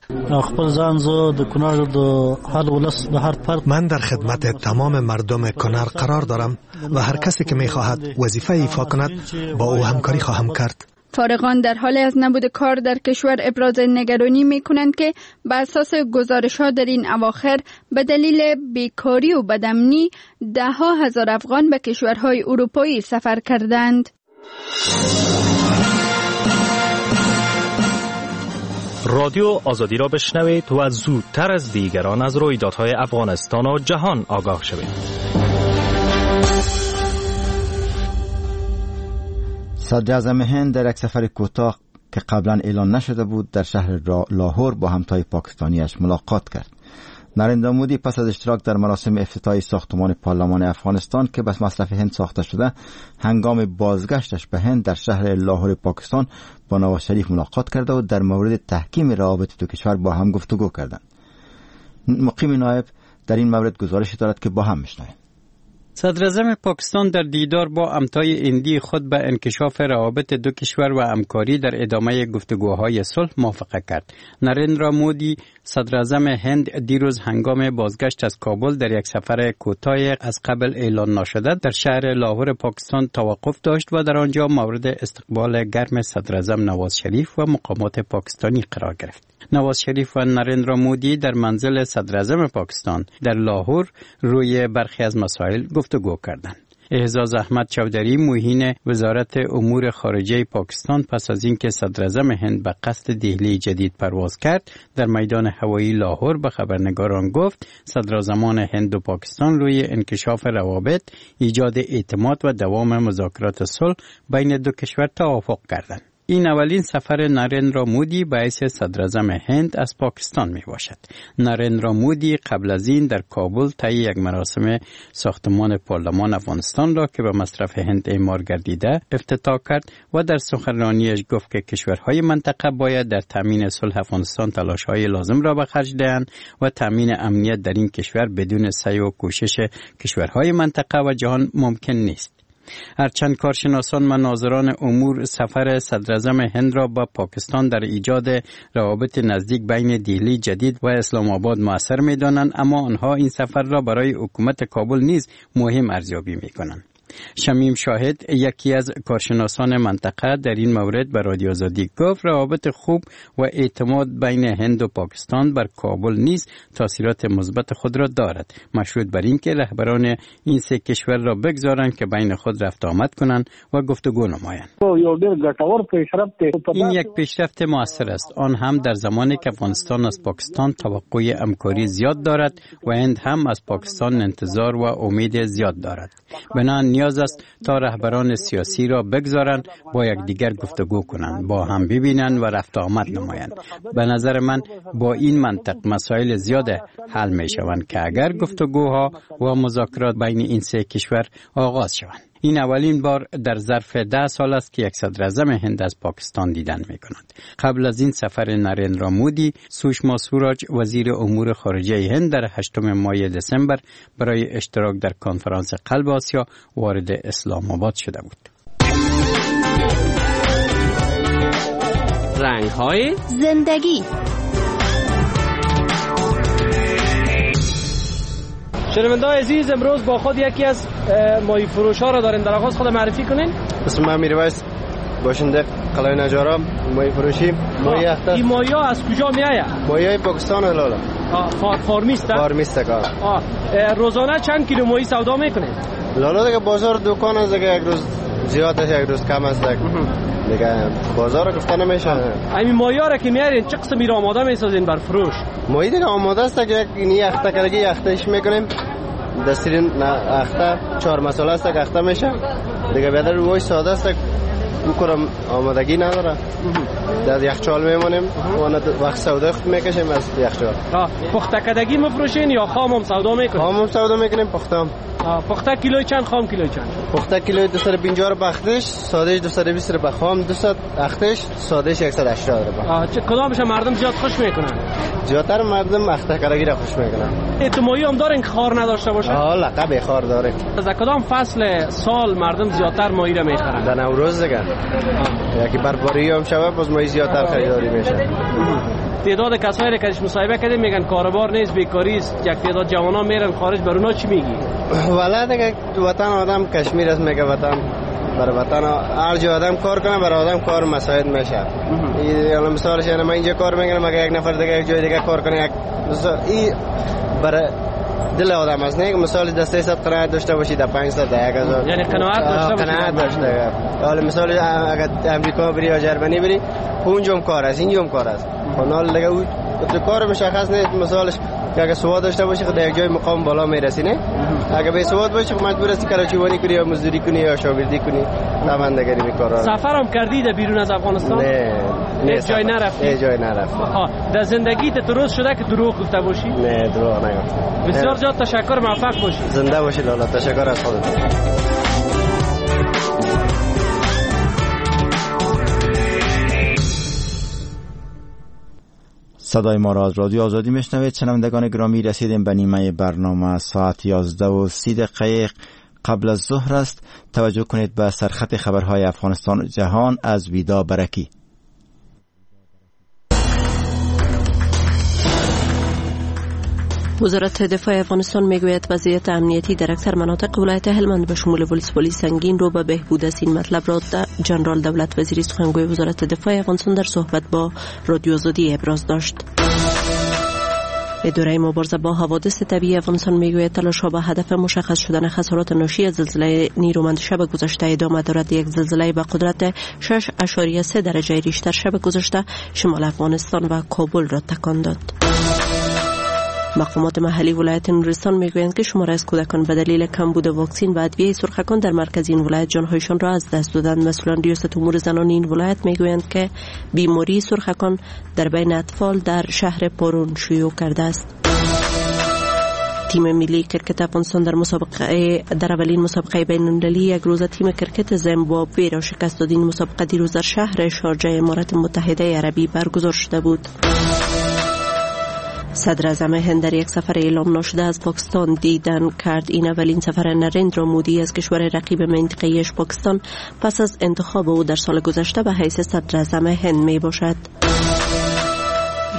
من در خدمت تمام مردم کنر قرار دارم و هر کسی که میخواهد وظیفه ایفا کند با او همکاری خواهم کرد. فارغان در حال از نبود کار در کشور ابراز نگرانی می کنند که به اساس گزارش ها در این اواخر به دلیل بیکاری و بدامنی ده ها هزار افغان به کشورهای اروپایی سفر کردند. رادیو آزادی را بشنوید و زودتر از دیگران از رویدادهای افغانستان و جهان آگاه شوید. صدراعظم هند در یک سفر کوتاه که قبلا اعلان نشده بود در شهر لاهور با همتای پاکستانیش ملاقات کرد. نریندرا مودی پس از اشتراک در مراسم افتتاح ساختمان پارلمان افغانستان که به مصرف هند ساخته شده، هنگام بازگشتش به هند در شهر لاهور پاکستان با نواز شریف ملاقات کرده و در مورد تحکیم روابط دو کشور با هم گفتگو کردند. مقیم نایب در این مورد گزارشی دارد که با هم میشنویم. صدراعظم پاکستان در دیدار با همتای هندی خود به انکشاف روابط دو کشور و همکاری در ادامه گفتگوهای صلح موافقه کرد. نریندرا مودی صدراعظم هند دیروز هنگام بازگشت از کابل در یک سفر کوتاه از قبل اعلان ناشده در شهر لاهور پاکستان توقف داشت و در آنجا مورد استقبال گرم صدراعظم نواز شریف و مقامات پاکستانی قرار گرفت. نواز شریف و نریندرا مودی در منزل صدراعظم پاکستان در لاهور روی برخی از مسائل گفتگو کردند. اعزاز احمد چودری معین وزارت امور خارجه پاکستان پس از اینکه صدراعظم هند به قصد دهلی جدید پرواز کرد در میدان هوایی لاهور به خبرنگاران گفت صدراعظمان هند و پاکستان روی انکشاف روابط، ایجاد اعتماد و دوام مذاکرات صلح بین دو کشور توافق کردند. این اولین سفر نریندرا مودی به حیث صدراعظم هند از پاکستان می باشد. نریندرا مودی قبل از این در کابل طی یک مراسم ساختمان پارلمان افغانستان را که به مصرف هند اعمار گردیده افتتاح کرد و در سخنرانیش گفت که کشورهای منطقه باید در تامین صلح افغانستان تلاش‌های لازم را به خرج دهند و تامین امنیت در این کشور بدون سعی و کوشش کشورهای منطقه و جهان ممکن نیست. هرچند کارشناسان و ناظران امور سفر صدراعظم هند را با پاکستان در ایجاد روابط نزدیک بین دهلی جدید و اسلام آباد مؤثر می‌دانند، اما آنها این سفر را برای حکومت کابل نیز مهم ارزیابی می‌کنند. شمیم شاهد یکی از کارشناسان منطقه در این مورد به رادیو آزادی گفت روابط خوب و اعتماد بین هند و پاکستان بر کابل نیز تاثیرات مثبت خود را دارد، مشروط بر اینکه رهبران این سه کشور را بگذارند که بین خود رفت آمد کنند و گفتگو نمایند. این یک پیشرفت موثر است، آن هم در زمانی که افغانستان از پاکستان توقع همکاری زیاد دارد و هند هم از پاکستان انتظار و امید زیاد دارد. بنابراین نیاز است تا رهبران سیاسی را بگذارند با یکدیگر گفتگو کنند، با هم ببینند و رفت آمد نمایند. به نظر من با این منطق مسائل زیاد حل می شوند که اگر گفتگوها و مذاکرات بین این سه کشور آغاز شوند. این اولین بار در ظرف ده سال است که یک صدراعظم هند از پاکستان دیدن می کند. قبل از این سفر نریندرا مودی، سوشما سوراج وزیر امور خارجه هند در هشتم ماه دسامبر برای اشتراک در کنفرانس قلب آسیا وارد اسلام آباد شده بود. رنگ های زندگی. شنونده‌های عزیز، امروز با خود یکی از ماهی فروش‌ها را داریم. در آغاز خود معرفی کنین. اسم من میرویس، باشنده قلعه نجارا، ماهی فروشی. ماهی اخته. این ماهی ها از کجا می آید؟ ماهی های پاکستان لالا. آه، فارمیست. فارمیست کار. آه، روزانه چند کیلو ماهی سودا میکنید؟ لالا دیگه بازار دکان است دیگه، یک روز زیاد است یک روز کم است دیگه، بازار گفته نمیشه. همین ماهی ها را که میارین چه قسمی را آماده میسازین بر فروش؟ ماهی دیگه آماده است که یک اخته کردگی اختهش میکنیم، دسترین اخته چهار مساله است که اخته میشه دیگه. بیادر روی ساده است او کرم آمادگی نداره، در یخچال میمونیم و وقت سودا خود میکشیم از یخچال. پخته کردگی مفروشین یا خام هم سودا میکنیم؟ خام هم سودا میکنیم، پخته هم. پخته کیلوی چند، خام کیلوی چند؟ پخته کیلوی دویست و پنجاه روپیه اختش، سادهش دویست و بیست روپیه، خام دویست اختش، سادهش صد و هشتاد روپیه. چه کدامش مردم زیاد خوش میکنن؟ زیادتر مردم اخته کردگی را خوش میکنن. اعتمادی هم دارین که خار نداشته باشه؟ آه، لقب خار داره. از کدام فصل سال مردم زیادتر ماهی را میخرن؟ در نوروز دیگه. یکی بربری هم شوه باز ماهی زیادتر خریداری میشه. تعداد کسایی که مصاحبه کردیم میگن کاروبار نیست، بیکاری است، یک تعداد جوانان میرن خارج، بر اونا چی میگی؟ والا دیگه وطن آدم کشمیر است، میگه وطن بر وطن هر جا آدم کار کنه بر آدم کار مساعد میشه. این مثالش یعنی من اینجا کار میکنم، اگه یک نفر دیگه یک جای دیگه کار کنه، یک این بر دل آدم است. نه مثال دسته سیصد قناعت داشته باشی در پانصد در یک هزار، یعنی قناعت داشته باشی، قناعت داشته. حالا مثال اگه امریکا بری یا جرمنی بری اونجا کار است، اینجا کار است. حالا دیگه او تو کار مشخص نیست. مثالش که اگه سواد داشته باشی خود یک جای مقام بالا میرسی، نه؟ اگه بی سواد باشی خب مجبور هستی کراچیوانی کنی یا مزدوری کنی یا شاگردی کنی. طبعا دیگه این کارا. سفرم کردی در بیرون از افغانستان؟ نه، نه جای نرفتی. نه جای نرفتی. ها، در زندگی ت روز شده که دروغ گفته باشی؟ نه، دروغ نگفتم. بسیار زیاد تشکر، موفق باشی. زنده باشی لالا، تشکر از خودت. صدای ما را از رادیو آزادی میشنوید. شنوندگان گرامی، رسیدیم به نیمه برنامه. ساعت یازده و سی دقیقه قبل از ظهر است. توجه کنید به سرخط خبرهای افغانستان و جهان از ویدا برکی. وزارت دفاع افغانستان میگوید وضعیت امنیتی در اکثر مناطق ولایت هلمند به شمول ولسوالی سنگین رو به بهبود است. این مطلب را جنرال دولت وزیری سخنگوی وزارت دفاع افغانستان در صحبت با رادیو آزادی ابراز داشت. اداره مبارزه با حوادث طبیعی افغانستان میگوید تلاش‌ها به هدف مشخص شدن خسارات ناشی از زلزله نیرومند شب گذشته ادامه دارد. یک زلزله به قدرت شش اعشاریه سه درجه ریشتر شب گذشته شمال افغانستان و کابل را تکان داد. مقامات محلی ولایت نورستان میگویند که شماری از کودکان به دلیل کمبود واکسن و ادویه سرخکان در مرکز این ولایت جانهایشان را از دست دادند. مسئولان ریاست امور زنان این ولایت میگویند که بیماری سرخکان در بین اطفال در شهر پارون شیوع کرده است. تیم ملی کرکت افغانستان در مسابقه در اولین مسابقه بین‌المللی یک روزه تیم کرکت زیمبابوه را شکست داد. این مسابقه دیروز در شهر شارجه امارات متحده عربی برگزار شده بود. صدر اعظم هند در یک سفر اعلام ناشده از پاکستان دیدن کرد. این اولین سفر نریندرا مودی از کشور رقیب منطقه‌ایش پاکستان پس از انتخاب او در سال گذشته به حیث صدر اعظم هند می باشد.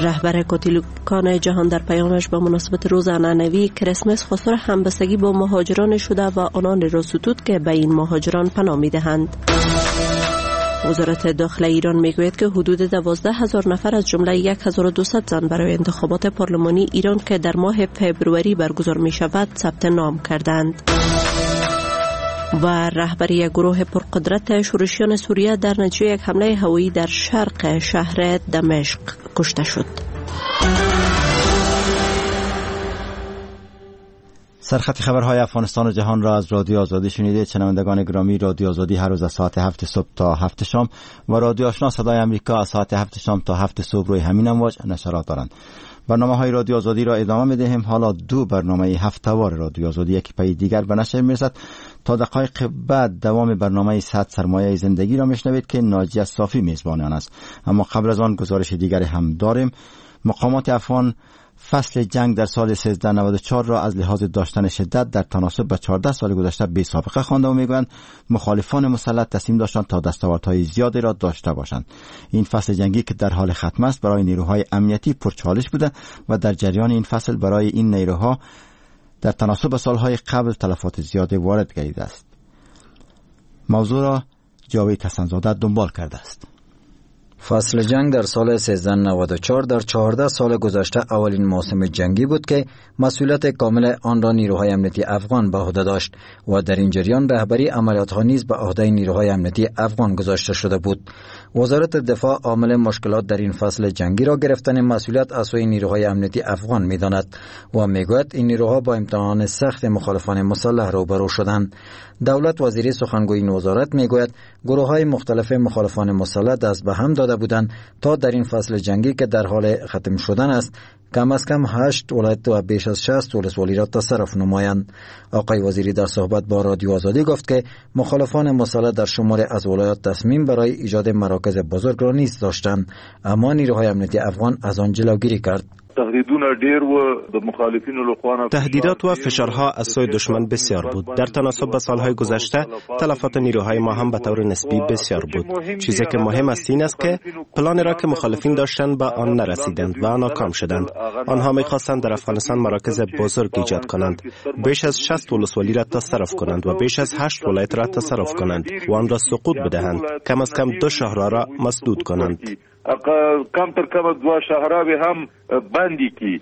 رهبر کاتولیکان جهان در پیامش به مناسبت روز عنعنوی کریسمس خواستار همبستگی با مهاجران شده و آنان را ستود که به این مهاجران پناه می‌دهند. وزارت داخله ایران میگوید که حدود دوازده هزار نفر از جمله یک هزار و دویست زن برای انتخابات پارلمانی ایران که در ماه فوریه برگزار می شود ثبت نام کردند. و رهبری گروه پرقدرت شورشیان سوریه در نتیجه یک حمله هوایی در شرق شهر دمشق کشته شد. سرخط خبرهای افغانستان و جهان را از رادیو آزادی شنیدید. شنوندگان گرامی، رادیو آزادی هر روز از ساعت هفت صبح تا هفت شام و رادیو آشنا صدای آمریکا از ساعت هفت شام تا هفت صبح روی همین امواج نشرات دارند. برنامه های رادیو آزادی را ادامه می‌دهیم. حالا دو برنامه هفته‌وار رادیو آزادی یکی پی دیگر به نشر می‌رسد. تا دقایق بعد دوام برنامه صد سرمایه زندگی را میشنوید که ناجیه صافی میزبان آن است. اما قبل از آن گزارش دیگری هم داریم. مقامات افغان فصل جنگ در سال سیزده نود و چهار را از لحاظ داشتن شدت در تناسب به چهارده سال گذشته بی سابقه خوانده و میگویند مخالفان مسلح تصمیم داشتند تا دستاوردهای زیادی را داشته باشند. این فصل جنگی که در حال ختم است برای نیروهای امنیتی پرچالش بوده و در جریان این فصل برای این نیروها در تناسب به سالهای قبل تلفات زیادی وارد گردیده است. موضوع را جاوید حسن‌زاده دنبال کرده است. فصل جنگ در سال سیزده نود و چهار در چهارده سال گذشته اولین موسم جنگی بود که مسئولیت کامل آن را نیروهای امنیتی افغان به عهده داشت و در این جریان رهبری عملیات‌ها نیز به عهده نیروهای امنیتی افغان گذاشته شده بود. وزارت دفاع عامل مشکلات در این فصل جنگی را گرفتن مسئولیت از سوی نیروهای امنیتی افغان می‌داند و می‌گوید این نیروها با امتحان سخت مخالفان مسلح روبرو شدند. دولت وزیری سخنگوی این وزارت می‌گوید گروه‌های مختلف مخالفان مسلح دست به هم داده بودند تا در این فصل جنگی که در حال ختم شدن است کم از کم هشت ولایت و بیش از شصت ولسوالی را تصرف نمایند. آقای وزیری در صحبت با رادیو آزادی گفت که مخالفان مسلح در شمار از ولایات تصمیم برای ایجاد مراکز بزرگ را نیز داشتند، اما نیروهای امنیتی افغان از آن جلوگیری کرد. تهدیدات و فشارها از سوی دشمن بسیار بود. در تناسب به سالهای گذشته تلفات نیروهای ما هم به طور نسبی بسیار بود. چیزی که مهم است این است که پلان را که مخالفین داشتند به آن نرسیدند و ناکام شدند. آنها می‌خواستند در افغانستان مراکز بزرگ ایجاد کنند، بیش از شصت ولسوالی را تصرف کنند و بیش از هشت ولایت را تصرف کنند و آن را سقوط بدهند، کم از کم دو شهر را مسدود کنند. کم تر کم دو شهراوی هم بندی کی.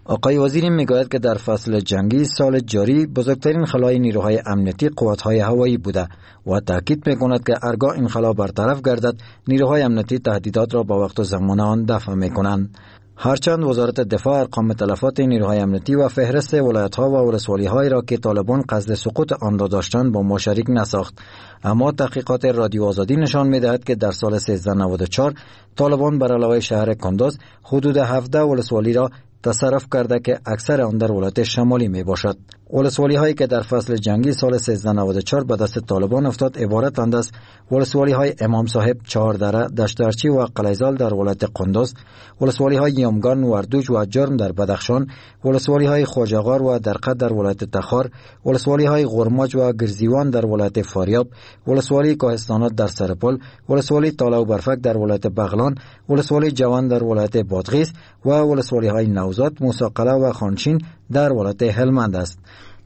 آقای وزیری میگوید که در فصل جنگی سال جاری بزرگترین خلای نیروهای امنیتی قوت‌های هوایی بوده و تاکید میکند که ارگاه این خلا برطرف گردد نیروهای امنیتی تهدیدات را با وقت و زمان آن دفع میکنند. هرچند وزارت دفاع ارقام تلفات نیروهای امنیتی و فهرست ولایت‌ها و ولسوالی‌هایی را که طالبان قصد سقوط آن را داشتند با ما شریک نساخت، اما تحقیقات رادیو آزادی نشان می‌دهد که در سال سیزده نود و چهار طالبان بر علاوه شهر کندوز حدود هفده ولسوالی را تصرف کرده که اکثر آن در ولایت شمالی می باشد. ولسوالی هایی که در فصل جنگی سال سیزده نود و چهار به دست طالبان افتاد عبارتند از ولسوالی های امام صاحب، چهاردره، دشترچی و قلیزال در ولایت قندوز، ولسوالی های یامگان، وردوج و جرم در بدخشان، ولسوالی های خواجه‌غار و درقه در ولایت تخار، ولسوالی های غرماج و گرزیوان در ولایت فاریاب، ولسوالی کوهستانات در سرپل، ولسوالی تاله و برفک در ولایت بغلان، ولسوالی جوان در ولایت بادغیس و ولسوالی های نوزاد، موسی قلعه و خانشین در ولایت هلمند است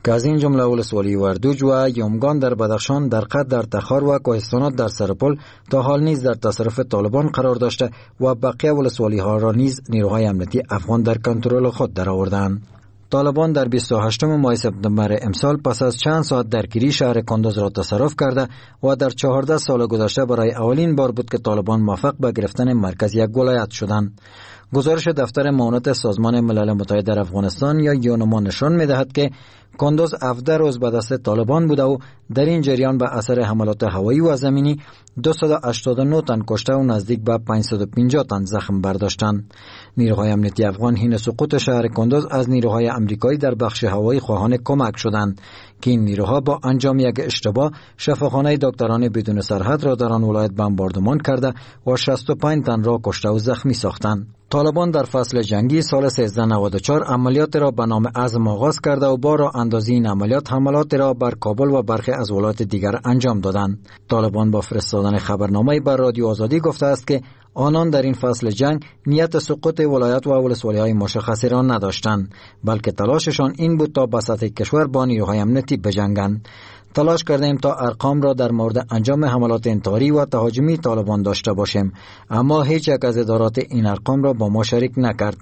که از این جمله ولسوالی وردوج و یامگان در بدخشان، درقه در تخار و کوهستانات در سرپل تا حال نیز در تصرف طالبان قرار داشته و بقیه ولسوالی ها را نیز نیروهای امنیتی افغان در کنترل خود درآوردند. طالبان در بیست و هشتم ماه سپتامبر امسال پس از چند ساعت درگیری شهر کندوز را تصرف کرده و در چهارده سال گذشته برای اولین بار بود که طالبان موفق به گرفتن مرکز یک ولایت شدند. گزارش دفتر معاونت سازمان ملل متحد در افغانستان یا یونما نشان می‌دهد که کندوز هفده روز به دست طالبان بوده و در این جریان به اثر حملات هوایی و زمینی دویست و هشتاد و نه تن کشته و نزدیک به پانصد و پنجاه تن زخم برداشتند. نیروهای امنیتی افغان حین سقوط شهر کندوز از نیروهای امریکایی در بخش هوایی خواهان کمک شدند که این نیروها با انجام یک اشتباه شفاخانه دکتران بدون سرحد را در آن ولایت بمباردمان کرده و شصت و پنج تن را کشته و زخمی ساختند. طالبان در فصل جنگی سال سیزده نود و چهار عملیات را به نام عزم آغاز کرده و با راه اندازی این عملیات حملات را بر کابل و برخی از ولایات دیگر انجام دادند. طالبان با فرستادن خبرنامه‌ای بر رادیو آزادی گفته است که آنان در این فصل جنگ نیت سقوط ولایت و ولسوالی‌های مشخصی را نداشتند، بلکه تلاششان این بود تا به سطح کشور با نیروهای امنیتی بجنگند. تلاش کردیم تا ارقام را در مورد انجام حملات انتحاری و تهاجمی طالبان داشته باشیم، اما هیچ یک از ادارات این ارقام را با ما شریک نکرد.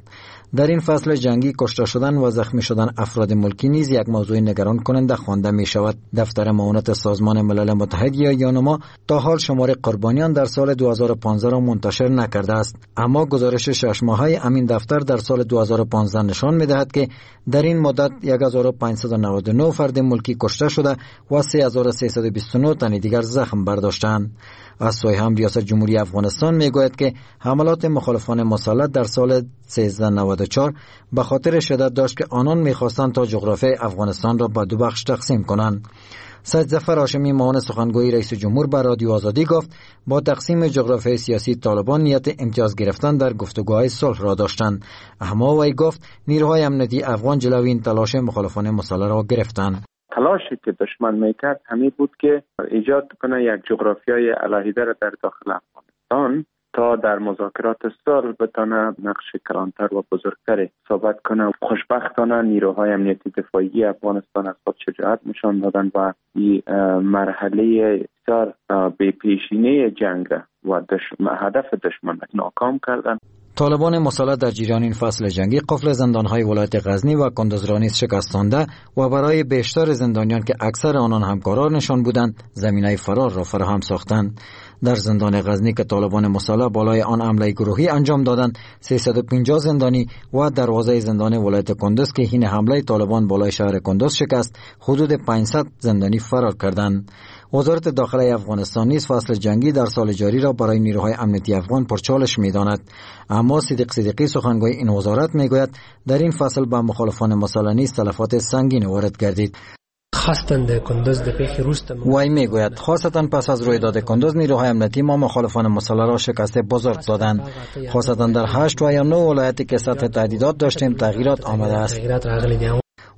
در این فصل جنگی کشته شدن و زخمی شدن افراد ملکی نیز یک موضوع نگران کننده خوانده می شود. دفتر معاونت سازمان ملل متحد یا یونما تا حال شمار قربانیان در سال دو هزار و پانزده را منتشر نکرده است، اما گزارش شش ماهه امین دفتر در سال دو هزار و پانزده نشان می دهد که در این مدت هزار و پانصد و نود و نه فرد ملکی کشته شده و سه هزار و سیصد و بیست و نه تن دیگر زخم برداشتند. از سوی هم ریاست جمهوری افغانستان می گوید که حملات مخالفان مسلح در سال سیزده نود و چهار به خاطر شدت داشت که آنان می‌خواستند تا جغرافیای افغانستان را به دو بخش تقسیم کنند. سید ظفر هاشمی معاون سخنگوی رئیس جمهور بر رادیو آزادی گفت با تقسیم جغرافیای سیاسی طالبان نیت امتیاز گرفتن در گفتگوهای صلح را داشتند، اما وی گفت نیروهای امنیتی افغان جلوی این تلاش مخالفان مسلح را گرفتند. تلاشی که دشمن میکرد همین بود که ایجاد کنه یک جغرافیای علاهیده را در داخل افغانستان تا در مذاکرات صلح بتانه نقش کلانتر و بزرگتر ثابت کنه. خوشبختانه نیروهای امنیتی دفاعی افغانستان از خود شجاعت نشان دادن و این مرحله بسیار بی پیشینه جنگ و دشمن، هدف دشمن ناکام کردن. طالبان مسلح در جریان این فصل جنگی قفل زندان‌های ولایت غزنی و کندوز را نیز شکستانده و برای بیشتر زندانیان که اکثر آنان همکارانشان بودند زمینه فرار را فراهم ساختند. در زندان غزنی که طالبان مسلح بالای آن حمله گروهی انجام دادند سیصد و پنجاه زندانی و دروازه زندان ولایت کندوز که حین حمله طالبان بالای شهر کندوز شکست حدود پانصد زندانی فرار کردند. وزارت داخله افغانستان نیز فصل جنگی در سال جاری را برای نیروهای امنیتی افغان پرچالش می‌داند، اما صدیق صدیقی سخنگوی این وزارت می‌گوید در این فصل به مخالفان مسلح نیز تلفات سنگین وارد گردید. وی میگوید خاصتا پس از رویداد کندوز نیروهای امنیتی ما مخالفان مسلح را شکست بزرگ دادند، خاصتا در هشت و یا نه ولایتی که سطح تهدیدات داشتیم تغییرات آمده است.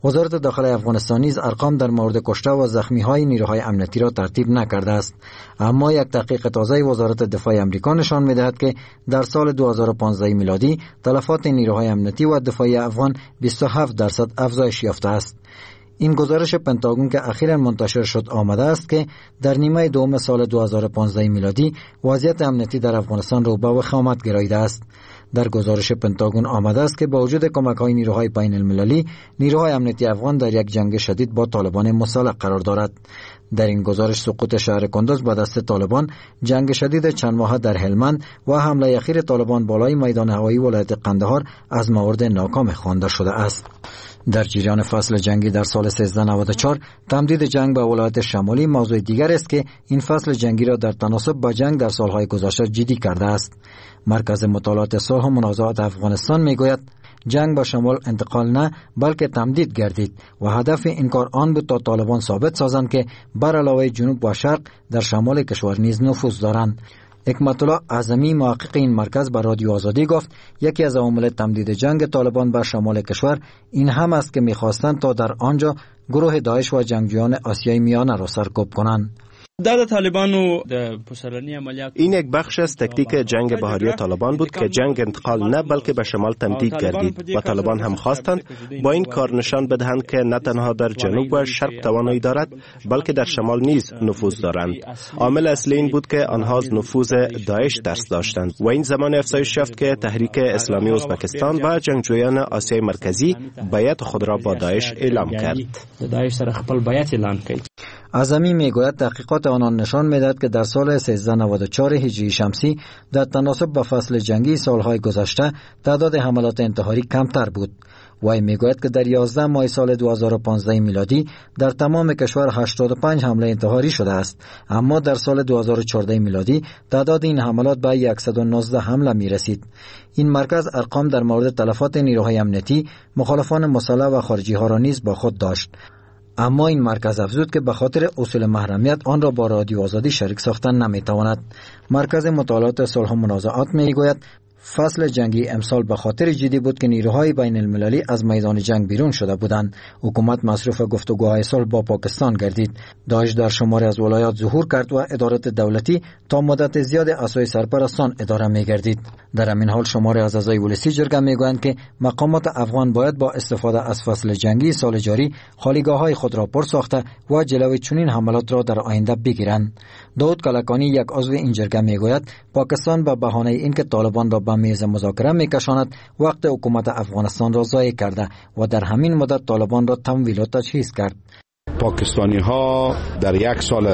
وزارت داخله افغانستان نیز ارقام در مورد کشته و زخمی های نیروهای امنیتی را ترتیب نکرده است، اما یک تحقیق تازه وزارت دفاع امریکا نشان می‌دهد که در سال دو هزار و پانزده میلادی تلفات نیروهای امنیتی و دفاعی افغان بیست و هفت درصد افزایش یافته است. این گزارش پنتاگون که اخیراً منتشر شد آمده است که در نیمه دوم سال دو هزار و پانزده میلادی وضعیت امنیتی در افغانستان رو به وخامت گراییده است. در گزارش پنتاگون آمده است که با وجود کمک‌های نیروهای بین المللی، نیروهای امنیتی افغان در یک جنگ شدید با طالبان مسلح قرار دارد. در این گزارش سقوط شهر کندز به دست طالبان، جنگ شدید چند ماه در هلمند و حمله اخیر طالبان بالای میدان هوایی ولایت قندهار از موارد ناکام خوانده شده است. در جریان فصل جنگی در سال سیزده نود و چهار تمدید جنگ به ولایت شمالی موضوع دیگر است که این فصل جنگی را در تناسب با جنگ در سالهای گذشته جدی کرده است. مرکز مطالعات صلح و منازعات افغانستان میگوید جنگ به شمال انتقال نه بلکه تمدید گردید و هدف این کار آن بود تا طالبان ثابت سازند که بر علاوه جنوب و شرق در شمال کشور نیز نفوذ دارند. حکمت الله اعظمی محقق این مرکز به رادیو آزادی گفت یکی از عوامل تمدید جنگ طالبان بر شمال کشور این هم است که می‌خواستند تا در آنجا گروه داعش و جنگجویان آسیای میانه را سرکوب کنند. این یک بخش از تکتیک جنگ بهاری طالبان بود که جنگ انتقال نه بلکه به شمال تمدید گردید و طالبان هم خواستند با این کار نشان بدهند که نه تنها در جنوب و شرق توانایی دارد بلکه در شمال نیز نفوذ دارند. عامل اصلی این بود که آنها از نفوذ داعش ترس داشتند و این زمان افزایش یافت که تحریک اسلامی ازبکستان و جنگجویان آسیای مرکزی بیعت خود را با داعش اعلام کرد. اعظمی میگوید تحقیقات آنان نشان میدهد که در سال سیزده نود و چهار هجری شمسی در تناسب با فصل جنگی سالهای گذشته تعداد حملات انتحاری کمتر بود. وی میگوید که در یازده ماه سال دو هزار و پانزده میلادی در تمام کشور هشتاد و پنج حمله انتحاری شده است، اما در سال دو هزار و چهارده میلادی تعداد این حملات به صد و نوزده حمله می رسید. این مرکز ارقام در مورد تلفات نیروهای امنیتی، مخالفان مسلح و خارجی ها را نیز با خود داشت. اما این مرکز افزود که به خاطر اصول محرمیت آن را با رادیو آزادی شریک ساختن نمیتواند. مرکز مطالعات صلح و منازعات میگوید فصل جنگی امسال به خاطر جدی بود که نیروهای بین المللی از میدان جنگ بیرون شده بودند. حکومت مصروف گفتگوهای صلح با پاکستان گردید. داعش در شماری از ولایات ظهور کرد و ادارات دولتی تا مدت زیاد از سوی سرپرستان اداره می‌گردید. در همین حال شماری از اعضای ولسی جرگه میگویند که مقامات افغان باید با استفاده از فصل جنگی سال جاری خالیگاه‌های خود را پر ساخته و جلوی چنین حملات را در آینده بگیرند. داود کلکانی یک عضو این جرگه میگوید پاکستان به بهانه اینکه طالبان را به میز مذاکره میکشاند وقت حکومت افغانستان را ضایع کرده و در همین مدت طالبان را تمویل و تجهیز کرد. پاکستانی ها در یک سال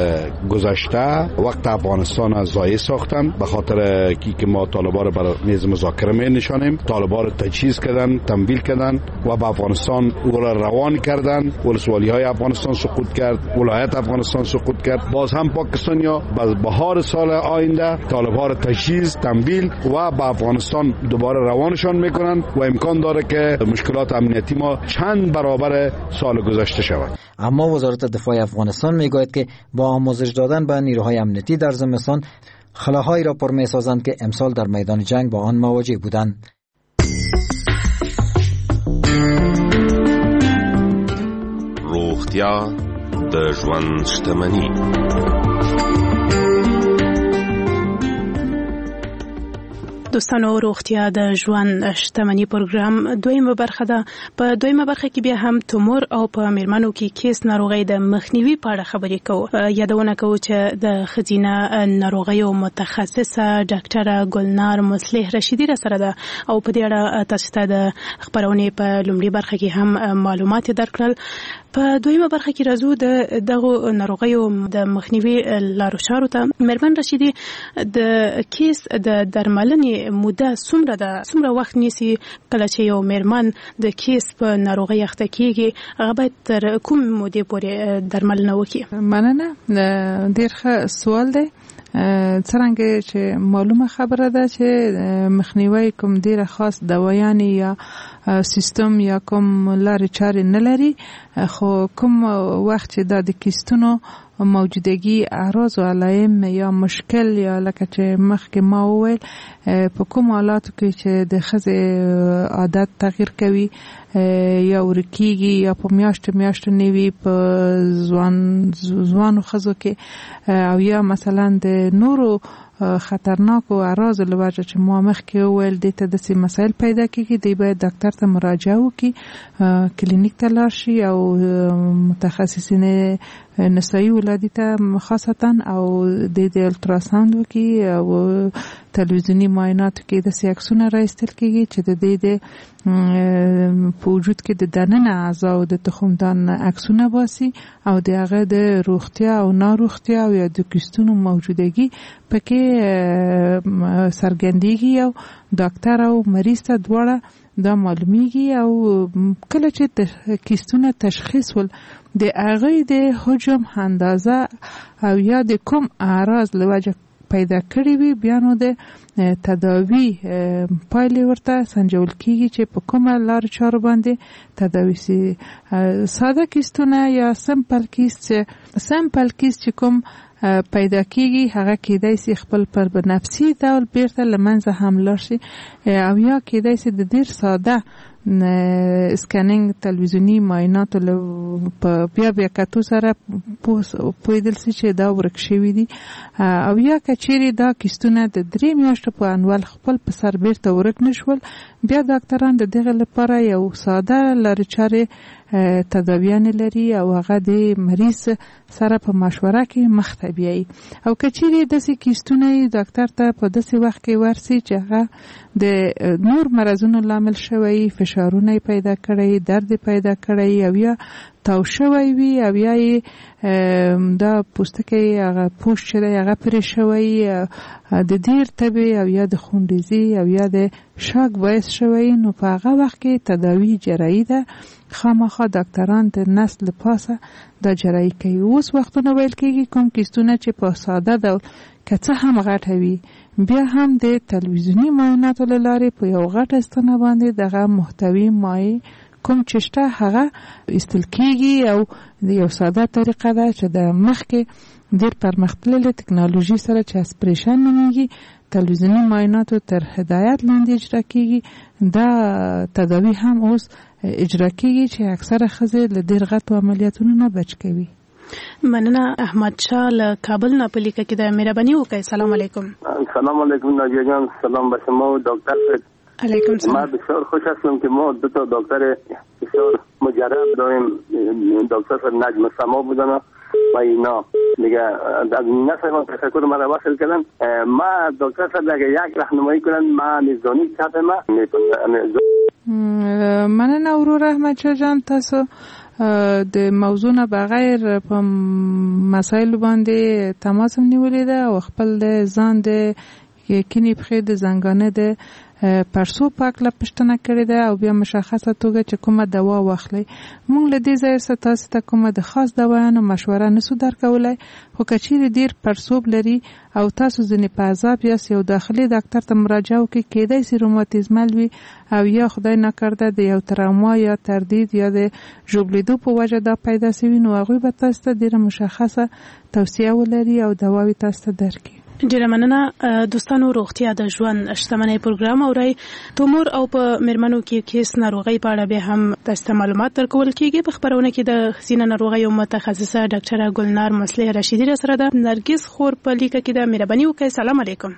گذشته وقت افغانستان را ضایع ساختن به خاطر که ما طالبان را بر میز مذاکره می نشانیم. طالبان را تجهیز کردن، تمویل کردن و به افغانستان او را روان کردن. ولسوالی های افغانستان سقوط کرد، ولایت افغانستان سقوط کرد. باز هم پاکستانی ها بهار سال آینده طالبان را تجهیز، تمویل و به افغانستان دوباره روانشان میکنن و امکان داره که مشکلات امنیتی ما چند برابر سال گذشته شود. اما وزارت دفاع افغانستان میگوید که با آموزش دادن به نیروهای امنیتی در زمستان خلاهایی را پر میسازند که امسال در میدان جنگ با آن مواجه بودند. روغتیا د ژوند شتمني. دوستانو روغتیا د ژوند شتمني پروګرام دویمه برخه ده. په دویمه برخه کې بیا هم تومور او په میرمنو کې کیس ناروغۍ د مخنیوي په اړه خبرې کوو. یادونه کوو چې د ښځینه ناروغیو متخصصه ډاکټره ګلنار مصلح رشیدي را سره ده او په دې اړه تاسو ته د خپرونې په لومړي برخه کې هم معلومات درکړل. په دویمه برخه کې راځو د دغو ناروغیو د مخنیوي لارو چارو ته. میرمن رشیدي، د کیس د درملنې موده څومره ده؟ څومره وخت نیسي کله چې یو میرمن د کیس په ناروغۍ اخته کیږي؟ هغه باید تر کوم مودې پورې درملنه وکړي؟ مننه، ډیر ښه سوال دی. څرنګه چې معلومه خبره ده چې مخنیوي کوم ډیره خاص دوايانې یا سیستم یا کوم لارې چارې نه لري، خو کوم وخت چې دا د کیستونو موجودګي اعراض او علایم یا مشکل یا لکه چې مخکې ما وویل په کوم حالاتو کې چې د ښځې عادت تغییر کوي یا ورکیږي یا په میاشتو میاشتو نه وي په ځوان ځوانو ښځو کې او یا مثلا د نورو خطرناکو اعراض له وجه چې ما مخکې وویل دې ته داسې مسایل پیدا کیږي، دی باید ډاکټر ته مراجعه وکړي، کلینیک ته لاړ شي او متخصصین نسایي ولادي ته خاصتا او د دې الټراساوند وکړي او تلویزیوني معایناتو کې داسې عکسونه را ایستل کېږي چې د دې د په وجود کې د دننه اعضاو د تخمدان عکسونه باسي او د هغه د روغتیا او ناروغتیا او یا د کیستونو موجودګي پکې څرګندېږي او ډاکټر او مریض ته دواړه دا معلومیږي. او کله چې کیستونه تشخیص ول د هغې د حجم اندازه او یا د کوم اعراض له وجه پیدا کړی وي، بیا نو د تداوی پایلې ورته سنجول کیږي چې په کومه لار چارو باندې تداوی سي. ساده کیستونه یا simple کیست، simple کیست چې کوم پیدا کیږي هغه کیدای سي خپل پر بنفسي ډول بیرته له منځه هم لاړ شي او یا کیدای سي د ډیر ساده scanning تلویزیوني معایناتو له بیا بیا کتو سره پوهېدل سي چې دا ورک شوي دي. او یا که چیرې دا کیستونه د درې میاشتو په انوال خپل په سر بیرته ورک نه شول، بیا ډاکټران د دغه لپاره یو ساده لارې چارې تداویانې لري او هغه د مریض سره په مشوره کې مخته بیایي. او که چیرې داسې کیستونه یې ډاکټر ته په داسې وخت کې ورسي چې هغه د نور مرضونو لامل شوی، فشارونه یې پیدا کړی، درد یې پیدا کړی او یا تاو شوی وي او یا یې دا پوستکی هغه پوښ چې دی هغه پرې شوی، د ډېر تبې او یا د خونریزي او یا د شاک باعث شوی، نو په هغه وخت کې تداوی جراحي ده. خامخا ډاکټران د نس له پاسه دا جراحي کوي. اوس وختونه ویل کېږي کوم کیستونه چې په ساده ډول که څه هم غټه وي، بیا هم د تلویزیوني معایناتو له لارې په یو غټه ستنه باندې دغه محتوی مایع کوم چې شته هغه ایستل کېږي او یو ساده طریقه ده چې د مخکې ډېر پرمختللې تکنالوژي سره چې aspiration نومېږي تلویزیوني معایناتو تر هدایت لاندې اجرا کېږي. دا تداوی هم اوس اجرا کېږي چې اکثره ښځې له ډېر غټو عملیاتونو نه بچ کوي. مننه. احمد شاه له کابل نه په لیکه کې ده، مهرباني وکړئ. سلام علیکم. سلام علیکم ناجیه جان، سلام به شما و دکتر. علیکم سلام. ما بسیار خوش هستم که ما دو تا دکتر بسیار مجرب داریم، دکتر نجم سما بودن و اینا دیگه از نفر من تشکر مرا وصل کردن. ما دکتر صاحب اگه یک راهنمایی کنن ما میزانی چپ ما. مننه ورور احمد شاه جان، تاسو د موضوع نه بغیر په مسایلو باندې تماس هم نیولې ده او خپل د ځان د کینې پښې د زنګانه د پرسو په هکله پوښتنه کړې ده او بیا مشخصه توګه چې کومه دوا واخلئ. موږ له دې ځایه څخه تاسو ته کومه د خاص دوایانو مشوره نسو درکولای، خو که چیرې ډېر پرسوب لري او تاسو ځینې په عذاب یاست یو داخلي ډاکټر ته مراجعه وکړئ. کیدای سي روماتیزمل وي او یا خدای نکرده د یو تراما یا تردید یا د ژوبلېدو په وجه دا پیدا سوي، نو هغوی به تاسو ته ډېره مشخصه توصیه ولري او دواوې تاسو ته درکړي. ډیره مننه دوستانو. روغتیا د ژوند شتمنۍ پروګرام اورئ. تومور او په میرمنو کې کیس ناروغۍ په اړه به هم تاسو ته معلومات درکول کیږي. په خپرونه کې د ښځینه ناروغیو متخصصه ډاکټره ګلنار مصلح رشیدي را سره ده. نرګس خور په لیکه کې ده، مهرباني وکړئ. سلام علیکم.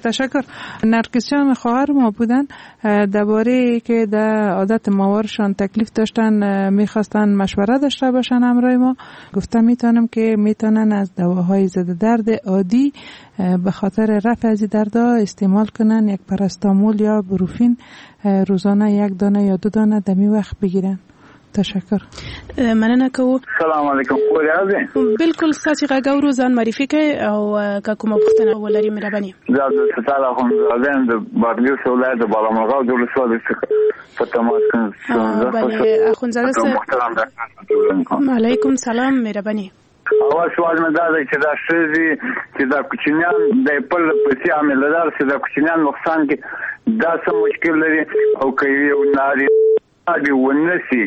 تشکر. نرگس جان خواهر ما بودن، درباره که در عادت ماورشان تکلیف داشتن میخواستن مشوره داشته باشن همراه ما. گفتم میتونم که میتونن از دواهای ضد درد عادی به خاطر رفع از دردها استعمال کنن، یک پاراستامول یا بروفین روزانه یک دانه یا دو دانه دمی وقت بگیرن. تشکر. مننه کوو. سلام علیکم. خور یاست؟ بالکل. ستاسو غږ اورو، ځان معرفي کړئ او که کومه پوښتنه ولرئ مهرباني. زه عبدالستار اخندزاده یم، د بادغیس ولایت د بالامرغاب د ولسوالۍ څخه په تماس کې یم. بله اخندزاده صاحب، علیکم سلام، مهرباني. اول سوال مې دا دی چې دا ښځې چې دا کوچنیان د خپل پسې حاملهدار چې دا کوچنیان نقصان کې دا څه مشکل لري، او که یو نارینه ونه سي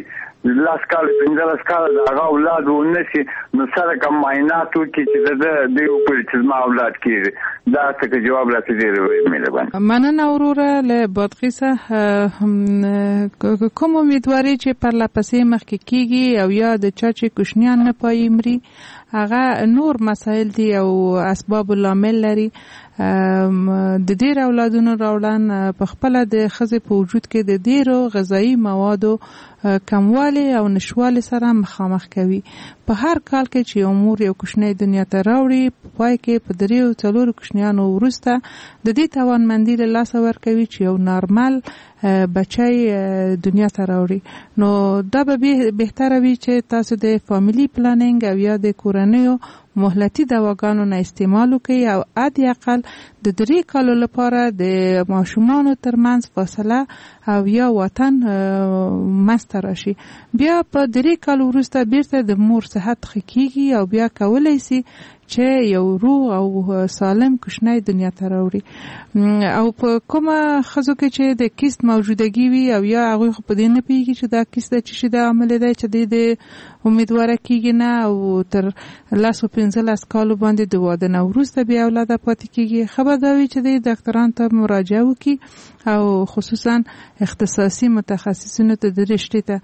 لس کاله پنځلس کاله د هغه اولاد ونه سي، نو سره کوم معاینات وکړي چې د ده دوی وګوري چې زما اولاد کېږي. دا څه که جواب راته ډېر مهرباني. مننه وروره له بادغیسه. کوم امیدواري چې پرله پسې مخکې کېږي او یا د چا چې کوچنیان نه پایي مري، هغه نور مسایل دي او اسباب لامل لري. د ډیر اولادونو راوړن په خپله د ښځې په وجود کې د ډیرو غذایي موادو کموالی او نشوالي سره مخامخ کوي. په هر کال کې چې یو مور یو کوچنی دنیا ته راوړي، په پای کې په دریو څلورو کوچنیانو وروسته د دې توانمندي له لاسه ورکوي چې یو نارمل بچی دنیا ته راوړي. نو دا به بهتره وي چې تاسو د family planning او یا د کورنیو مهلتي دواګانو نه استعمال وکړئ او حد اقل د درې کالو لپاره د ماشومانو ترمنځ فاصله او یا وطن منځته راشي. بیا په درې کالو وروسته بیرته د مور صحت ښه کیږي او بیا کولی سي چې یو روغ او سالم کوچنی دنیا ته راوړي. او په کومه ښځو کې چې د کیست موجودګي وي او یا هغوی خو په دې نه پوهېږي چې دا کیست د څه شي د عامل دی چې دی د امیدواره کیږي نه، او تر لس او پنځلس کالو باندې د واده نه وروسته بیا اولاده پاتې کیږي، ښه به دا وي چې دی ډاکټران ته مراجعه وکړي او خصوصا اختصاصي متخصصینو ته د رشتې ته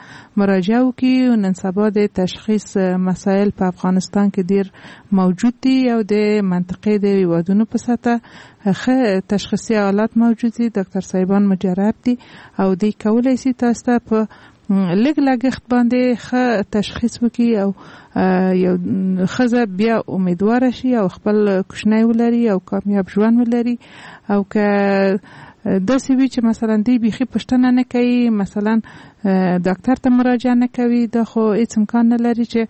مراجعه وکړي. نن سبا د تشخیص مسایل په افغانستان کې ډیر موجود دي او د منطقې د هیوادونو په سطح ښه تشخیصي آلات موجود دي، ډاکټر صاحبان مجرب دي او دوی کولی سي تاسو ته په لږ لګښت باندې ښه تشخیص وکړي او یو ښځه بیا امیدواره شي او خپل کوچنی ولري او کامیاب ژوند ولري. او که داسې وي چې مثلا دی بیخي پوښتنه نه کوي، مثلا ډاکټر ته مراجعه نه کوي، دا خو هیڅ امکان نه لري چې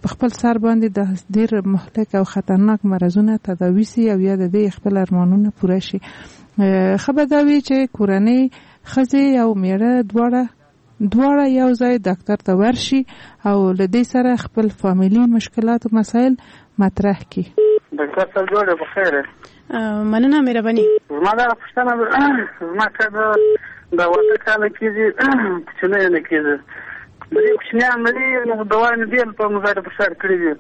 په خپل سر باندې د ډیر مهلک او خطرناک مرضونه تداوي سي او یا د دې خپل ارمانونه پوره شي. ښه به دا وي چې کورنۍ ښځې او میړه دواړه دواړه یو ځای ډاکټر ته ورشي او له دې سره خپل فامیلي مشکلات او مسایل مطرح کړي. ډاکټر صاحب جوړ په خیر. مننه، مهرباني. زما دا پوښتنه زما کله د واده کال کېږي کوچنی نه کېږي، درې کوچنیان لري، نو دوا مې ډېر په مزار په سر کړي دي،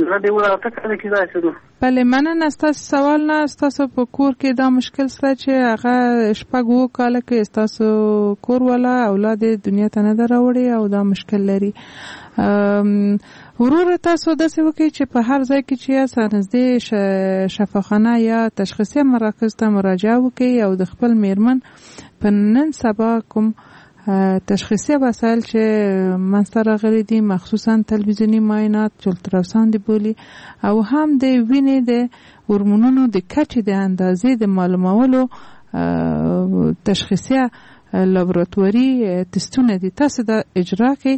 زه دې واده کال کې داسې نو. بله مننه ستاسو سوال نه. ستاسو په کور کې دا مشکل سته چې هغه شپږ اووه کاله کې ستاسو کور والا اولاد دنیا ته نه ده راوړی او دا مشکل لري. وروره تاسو داسې وکړئ چې په هر ځای کې چې یاست نږدې شفاخانه یا تشخیصي مراکز ته مراجعه وکړئ او د خپل میرمن په نن سبا کوم تشخیصي وسایل چې منځته راغلي دي، مخصوصا تلویزیوني معاینات چې الټراساوند بولي او هم د وینې د هورمونونو د کچې د اندازې د معلومولو تشخیصي لابراتواري تستونه دي، تاسو دا اجرا کړئ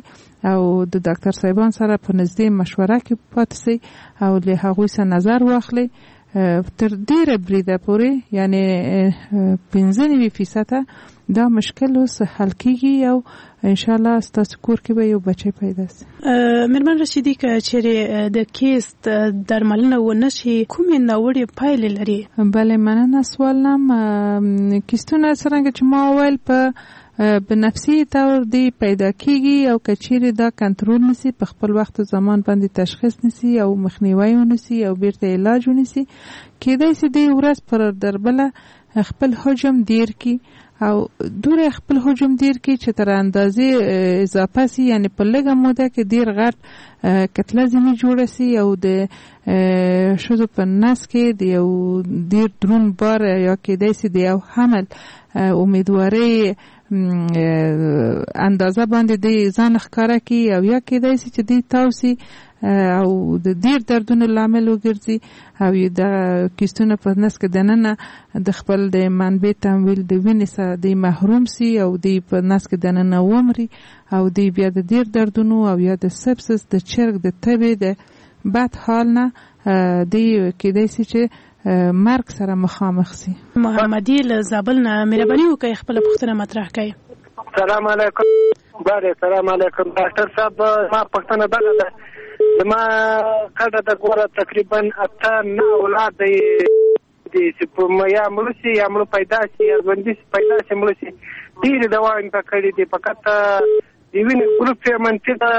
او د ډاکټر صاحبان سره په نږدې مشوره کې پاتې سئ او له هغوی سره نظر واخلئ. تر ډیره بریده پورې یعنی پنځه نوي فیصده دا مشکل اوس حل کیږي او ان شاء الله ستاسو کور کې به یو بچی پیدا سي. میرمن رشیدي، که چیرې د کیست درملنه ونه شي کومې ناوړې پایلې لري؟ بله مننه سوال نم. کیستونه څرنګه چې ما وویل په بنفسي طور دی پیدا کیږي او که چیرې دا کنټرول نسی، په خپل وخت او زمان باندې تشخیص نسی او مخنیوی ونسی او بیرته علاج ونسی، کیدای سي دی ورځ پر دربله خپل حجم ډیر کی او دوره خپل حجم ډیر کی چې تر اندازې اضافه سي، یعنی په لږه موده کې ډیر غټ کتله ځینې جوړه سي او د ښځو په نس کې د یو ډیر درون بار یا کیدای سي د یو حمل امیدوارۍ اندازه باندې دی ځان ښکاره کی او یا کیدای سي چې دی تاوسي او د ډیر دردونو لامل وګرځي او د کیستونه په نس کې دننه د خپل د منبع تمویل د وینې سره دی محروم سي او دی په نس کې دننه ومري او دی بیا د ډیر دردونو او یا د سپسس د چرګ د تبې د بد حال نه دی کیدای سي چې مرګ سره مخامخ سي. محمدي له زابل نه، مهرباني وکړئ خپله پوښتنه مطرح کړئ. سلام علیکم. بله سلام علیکم ډاکټر صاحب، ما پوښتنه دغه ده، زما کډه د ګوره تقریبا اته نه اولاد دی چې یا مړه سي یا مړه پیدا سي یا ژوندي پیدا سي مړه سي، ډېرې دواوې مې په کړې دي، فقط د وینې ګروپ یې منفي ده،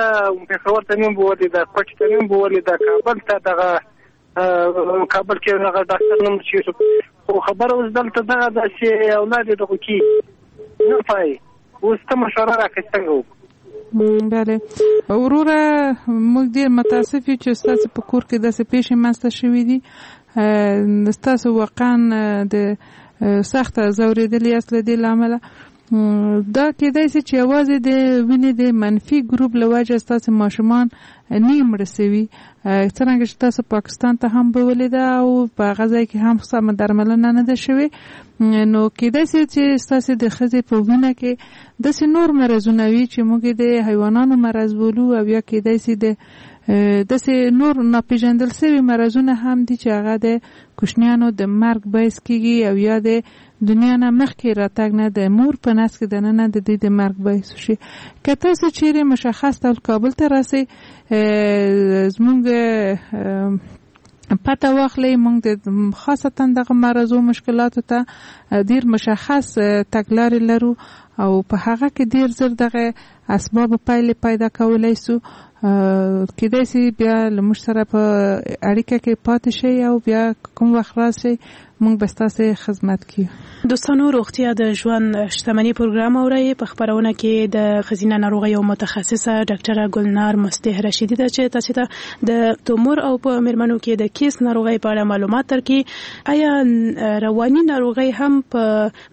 پېښور ته مې هم بوولې ده، کوټې ته مې هم بوولې ده، کابل ته دغه کابل کې هغه ډاکټر نوم چې خو خبره اوس دلته دغه ده چې اولاد یې دغه کېږي نه پای، اوس ته مشوره راکړې څنګه وکړو؟ بله وروره، موږ ډېر متاسف یو چې ستاسو په کور کې داسې پېښې منځته شوې دي. ستاسو واقعا د سخت ځورېدلي یاست له دې له امله. دا کېدای شي چې یوازې د وینې د منفي ګروپ له وجې ستاسو ماشومان نه مړه شوي، څرنګه چې تاسو پاکستان ته هم بولې ده او په هغه ځای کې هم سمه درملنه نه ده شوې، نو کېدای شي چې ستاسو د ښځې په وینه کې داسې نور مرضونه وي چې موږ د حیوانانو مرض بولو، او یا کېدای شي د داسې نور ناپېژندل شوي مرضونه هم دي چې هغه د کوچنیانو د مرګ باعث کیږي، او یا د دنیا نه مخکې راتګ نه د مور په نس کې دننه د دې د مرګ باعث شي. که تاسو چیرې مشخص ډول کابل ته راسئ، زموږ پته واخلئ، موږ د خاصتا دغه مرضو مشکلاتو ته ډیر مشخص تګلارې لرو او په هغه کې ډیر زر دغه اسباب پایلې پیدا کولای سو. کېدای شي بیا له موږ سره په اړیکه کې پاتې شئ او بیا کوم وخت راشئ موږ به ستاسو خدمت کوو. دوستانو، روغتیا د ژوند شتمني پروګرام اورئ. په خپرونه کې د ښځینه ناروغیو متخصصه ډاکټره ګلنار مصلح رشیدي ده چې تاسو ته د تومور او په میرمنو کې د کیس ناروغۍ په اړه معلومات درکړي. آیا رواني ناروغۍ هم په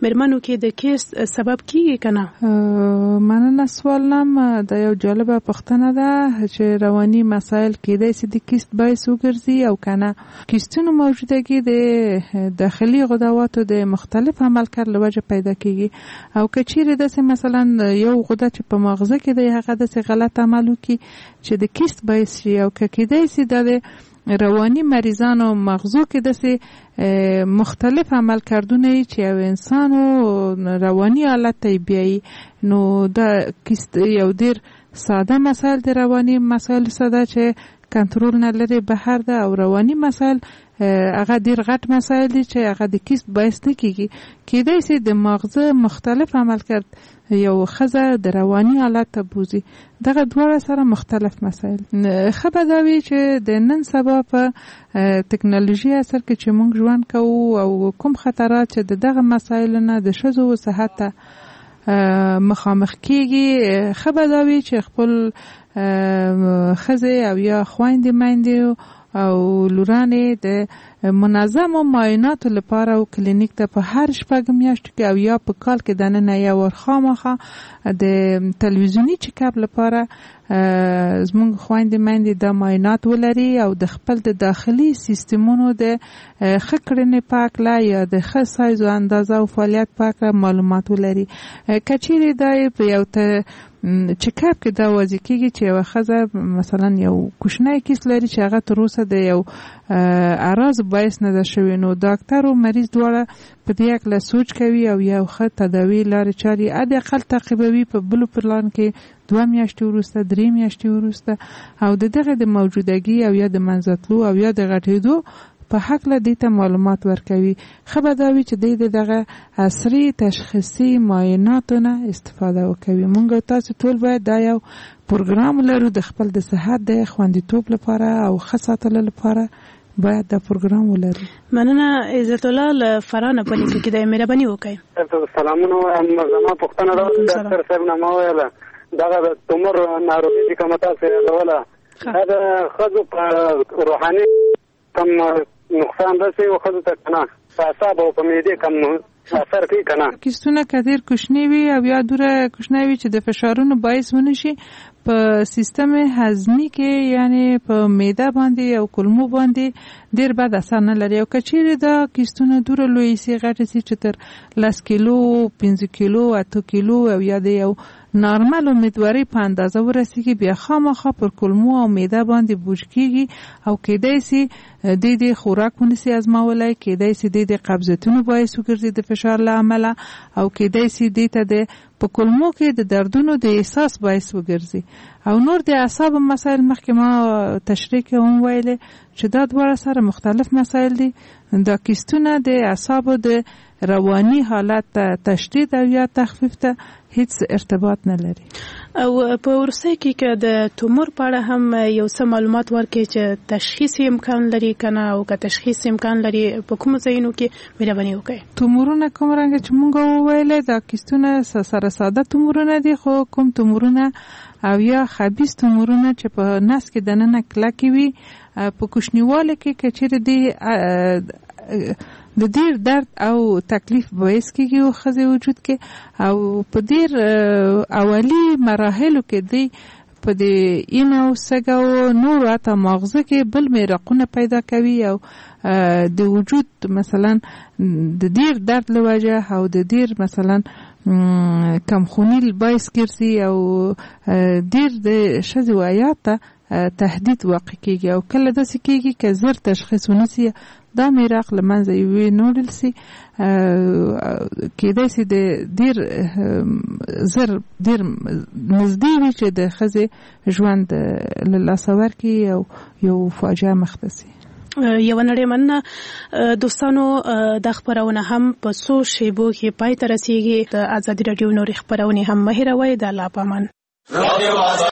میرمنو کې د کیس سبب کیږي که نه؟ مننه سوال نم، دا یو جالبه پوښتنه ده چې رواني مسایل کېدای شي د کیست باعث وګرځي او که نه. کیستونو موجودګي د داخلي غدواتو د مختلف عملکرد له وجې پیدا کیږي، او که چیرې داسې مثلا یو غده چې په ماغزه کې دی هغه داسې غلط عمل وکړي چې د کیست باعث شي، او که کېدای شي دا د رواني مریضانو مغزو کې داسې مختلف عملکردونه چې یو انسان رواني حالت ته بیایي، نو دا کیست یو ډیر ساده مسایل د رواني مسایل ساده چې کنترل نه لري بهر ده، او رواني مسایل هغه ډیر غټ مسایل دي چې هغه د کیست باعث نه کیږي. کېدای شي د ماغزه مختلف عملکرد یو ښځه د رواني حالت ته بوځي. دغه دواړه سره مختلف مسایل. ښه به دا وي چې د نن سبا په تکنالوژي عصر کې چې موږ ژوند کوو او کوم خطرات چې د دغه مسایلو نه د ښځو صحت ته مخامخ کیږي، ښه به دا وي چې خپل ښځې او یا خویندې میندې او لورانې د منظمو معایناتو لپاره او کلینیک ته په هر شپږ میاشتو کې او یا په کال کې دننه یو وار خامخا د تلویزیوني چک اپ لپاره زموږ خویندې میندې دا معاینات ولري او د خپل د داخلي سیستمونو د ښه کړنې په هکله یا د ښه سایز او اندازه او فعالیت په هکله معلومات ولري. که چیرې دا په یو چک اپ کې دا واضح کیږي چې یوه ښځه مثلا یو کوچنی کیس لري چې هغه تر اوسه د یو اعراض باعث نه ده شوی، نو ډاکټر او مریض دواړه په دې هکله سوچ کوي او یو ښه تداوي لارې چارې حداقل تعقیبوي په بلو پلان کې دوه میاشتې وروسته، درې میاشتې وروسته، او د دغه د موجودګي او یا د منځه تلو او یا د غټېدو په هکله دې ته معلومات ورکوي. ښه به دا وي چې دی د دغه عصري تشخیصي معایناتو نه استفاده وکوي. مونږ تاسو ټول باید دا یو پروګرام ولرو د خپل د صحت د خوندیتوب لپاره او ښه ساتلو لپاره باید دا پروګرام ولرو. مننه عزت الله له فرانه په لیکو کې د مهرباني وکړئ. سلامونه، زما پوښتنه دا ده ډاکټر صاحب نه ما ویله دغه د تومور ناروغي چې کومه تاسو یادوله دا د ښځو په روحاني کوم نقصان رسوي او ښځو ته که نه په اعصابو او په معدې کوم اثر کوي که نه؟ کیستونه که ډېر کوچني وي او یا دومره کوچنی وي چې د فشارونو باعث ونه شي، په سیستم هضمي کې یعنی په معده باندې او کولمو باندې ډېر بد اثر نه لري. او که چیرې دا کیستونه دومره لوی سي غټ سي چې تر لس کیلو، پنځه کیلو، اته کیلو او یا د یو نارمل امیدوارۍ په اندازه ورسیږي، بیا خامخا پر کولمو او معده باندې بوج کیږي او کېدای سي دې دې خوراک ونسي ازمولی، کېدای سي دې د قبضیتونو باعث وګرځي د فشار له امله، او کېدای سي دې ته د په کولمو کې د دردونو د احساس باعث وګرځي. او نور د اعصابو مسایل مخکې ما تشریح کې هم ویلې چې دا دواړه سره مختلف مسایل دي. دا کیستونه د اعصابو د رواني حالت ته تشدید او یا تخفیف ته هیڅ ارتباط نه لري. او په وروستۍ کې که د تومور په اړه هم یو څه معلومات ورکړئ چې تشخیص امکان لري کنه، او که تشخیص امکان لري په کومو ځایونو کې، مهرباني وکړئ. تومورونه کوم رنګ چې مونږ وویل دا کیستونه سره ساده تومورونه دي، خو کوم تومورونه او یا خبیث تومورونه چې په نس کې دننه کلکې وي، په کوچنیوالي کې که چیرې دی د ډیر درد او تکلیف باعث کیږي او ښځې وجود کې، او په ډیر اولی مراحلو کې دی په دې اینه او سږه او نورو حتی ماغزه کې بل میرقونه پیدا کوي، او د وجود مثلا د ډیر درد له وجه او د ډیر مثلا کمخونی باعث ګرځي، او ډیر د ښځې و حیات ته تهدید واقع کیږي. او کله داسې کیږي که زر تشخیص ونسي دا میراق له منځه یوې نوړل سي، کېدای سي د ډیر زر ډیر نږدې وي چې د ښځې ژوند له لاسه ورکړي او یو فاجعه مخته سي. یو نړۍ مننه دوستانو، دا خپرونه هم په څو شیبو کې پای ته رسیږي. د ازادي راډیو نورې خپرونې هم مه هېروئ. د الله په امان.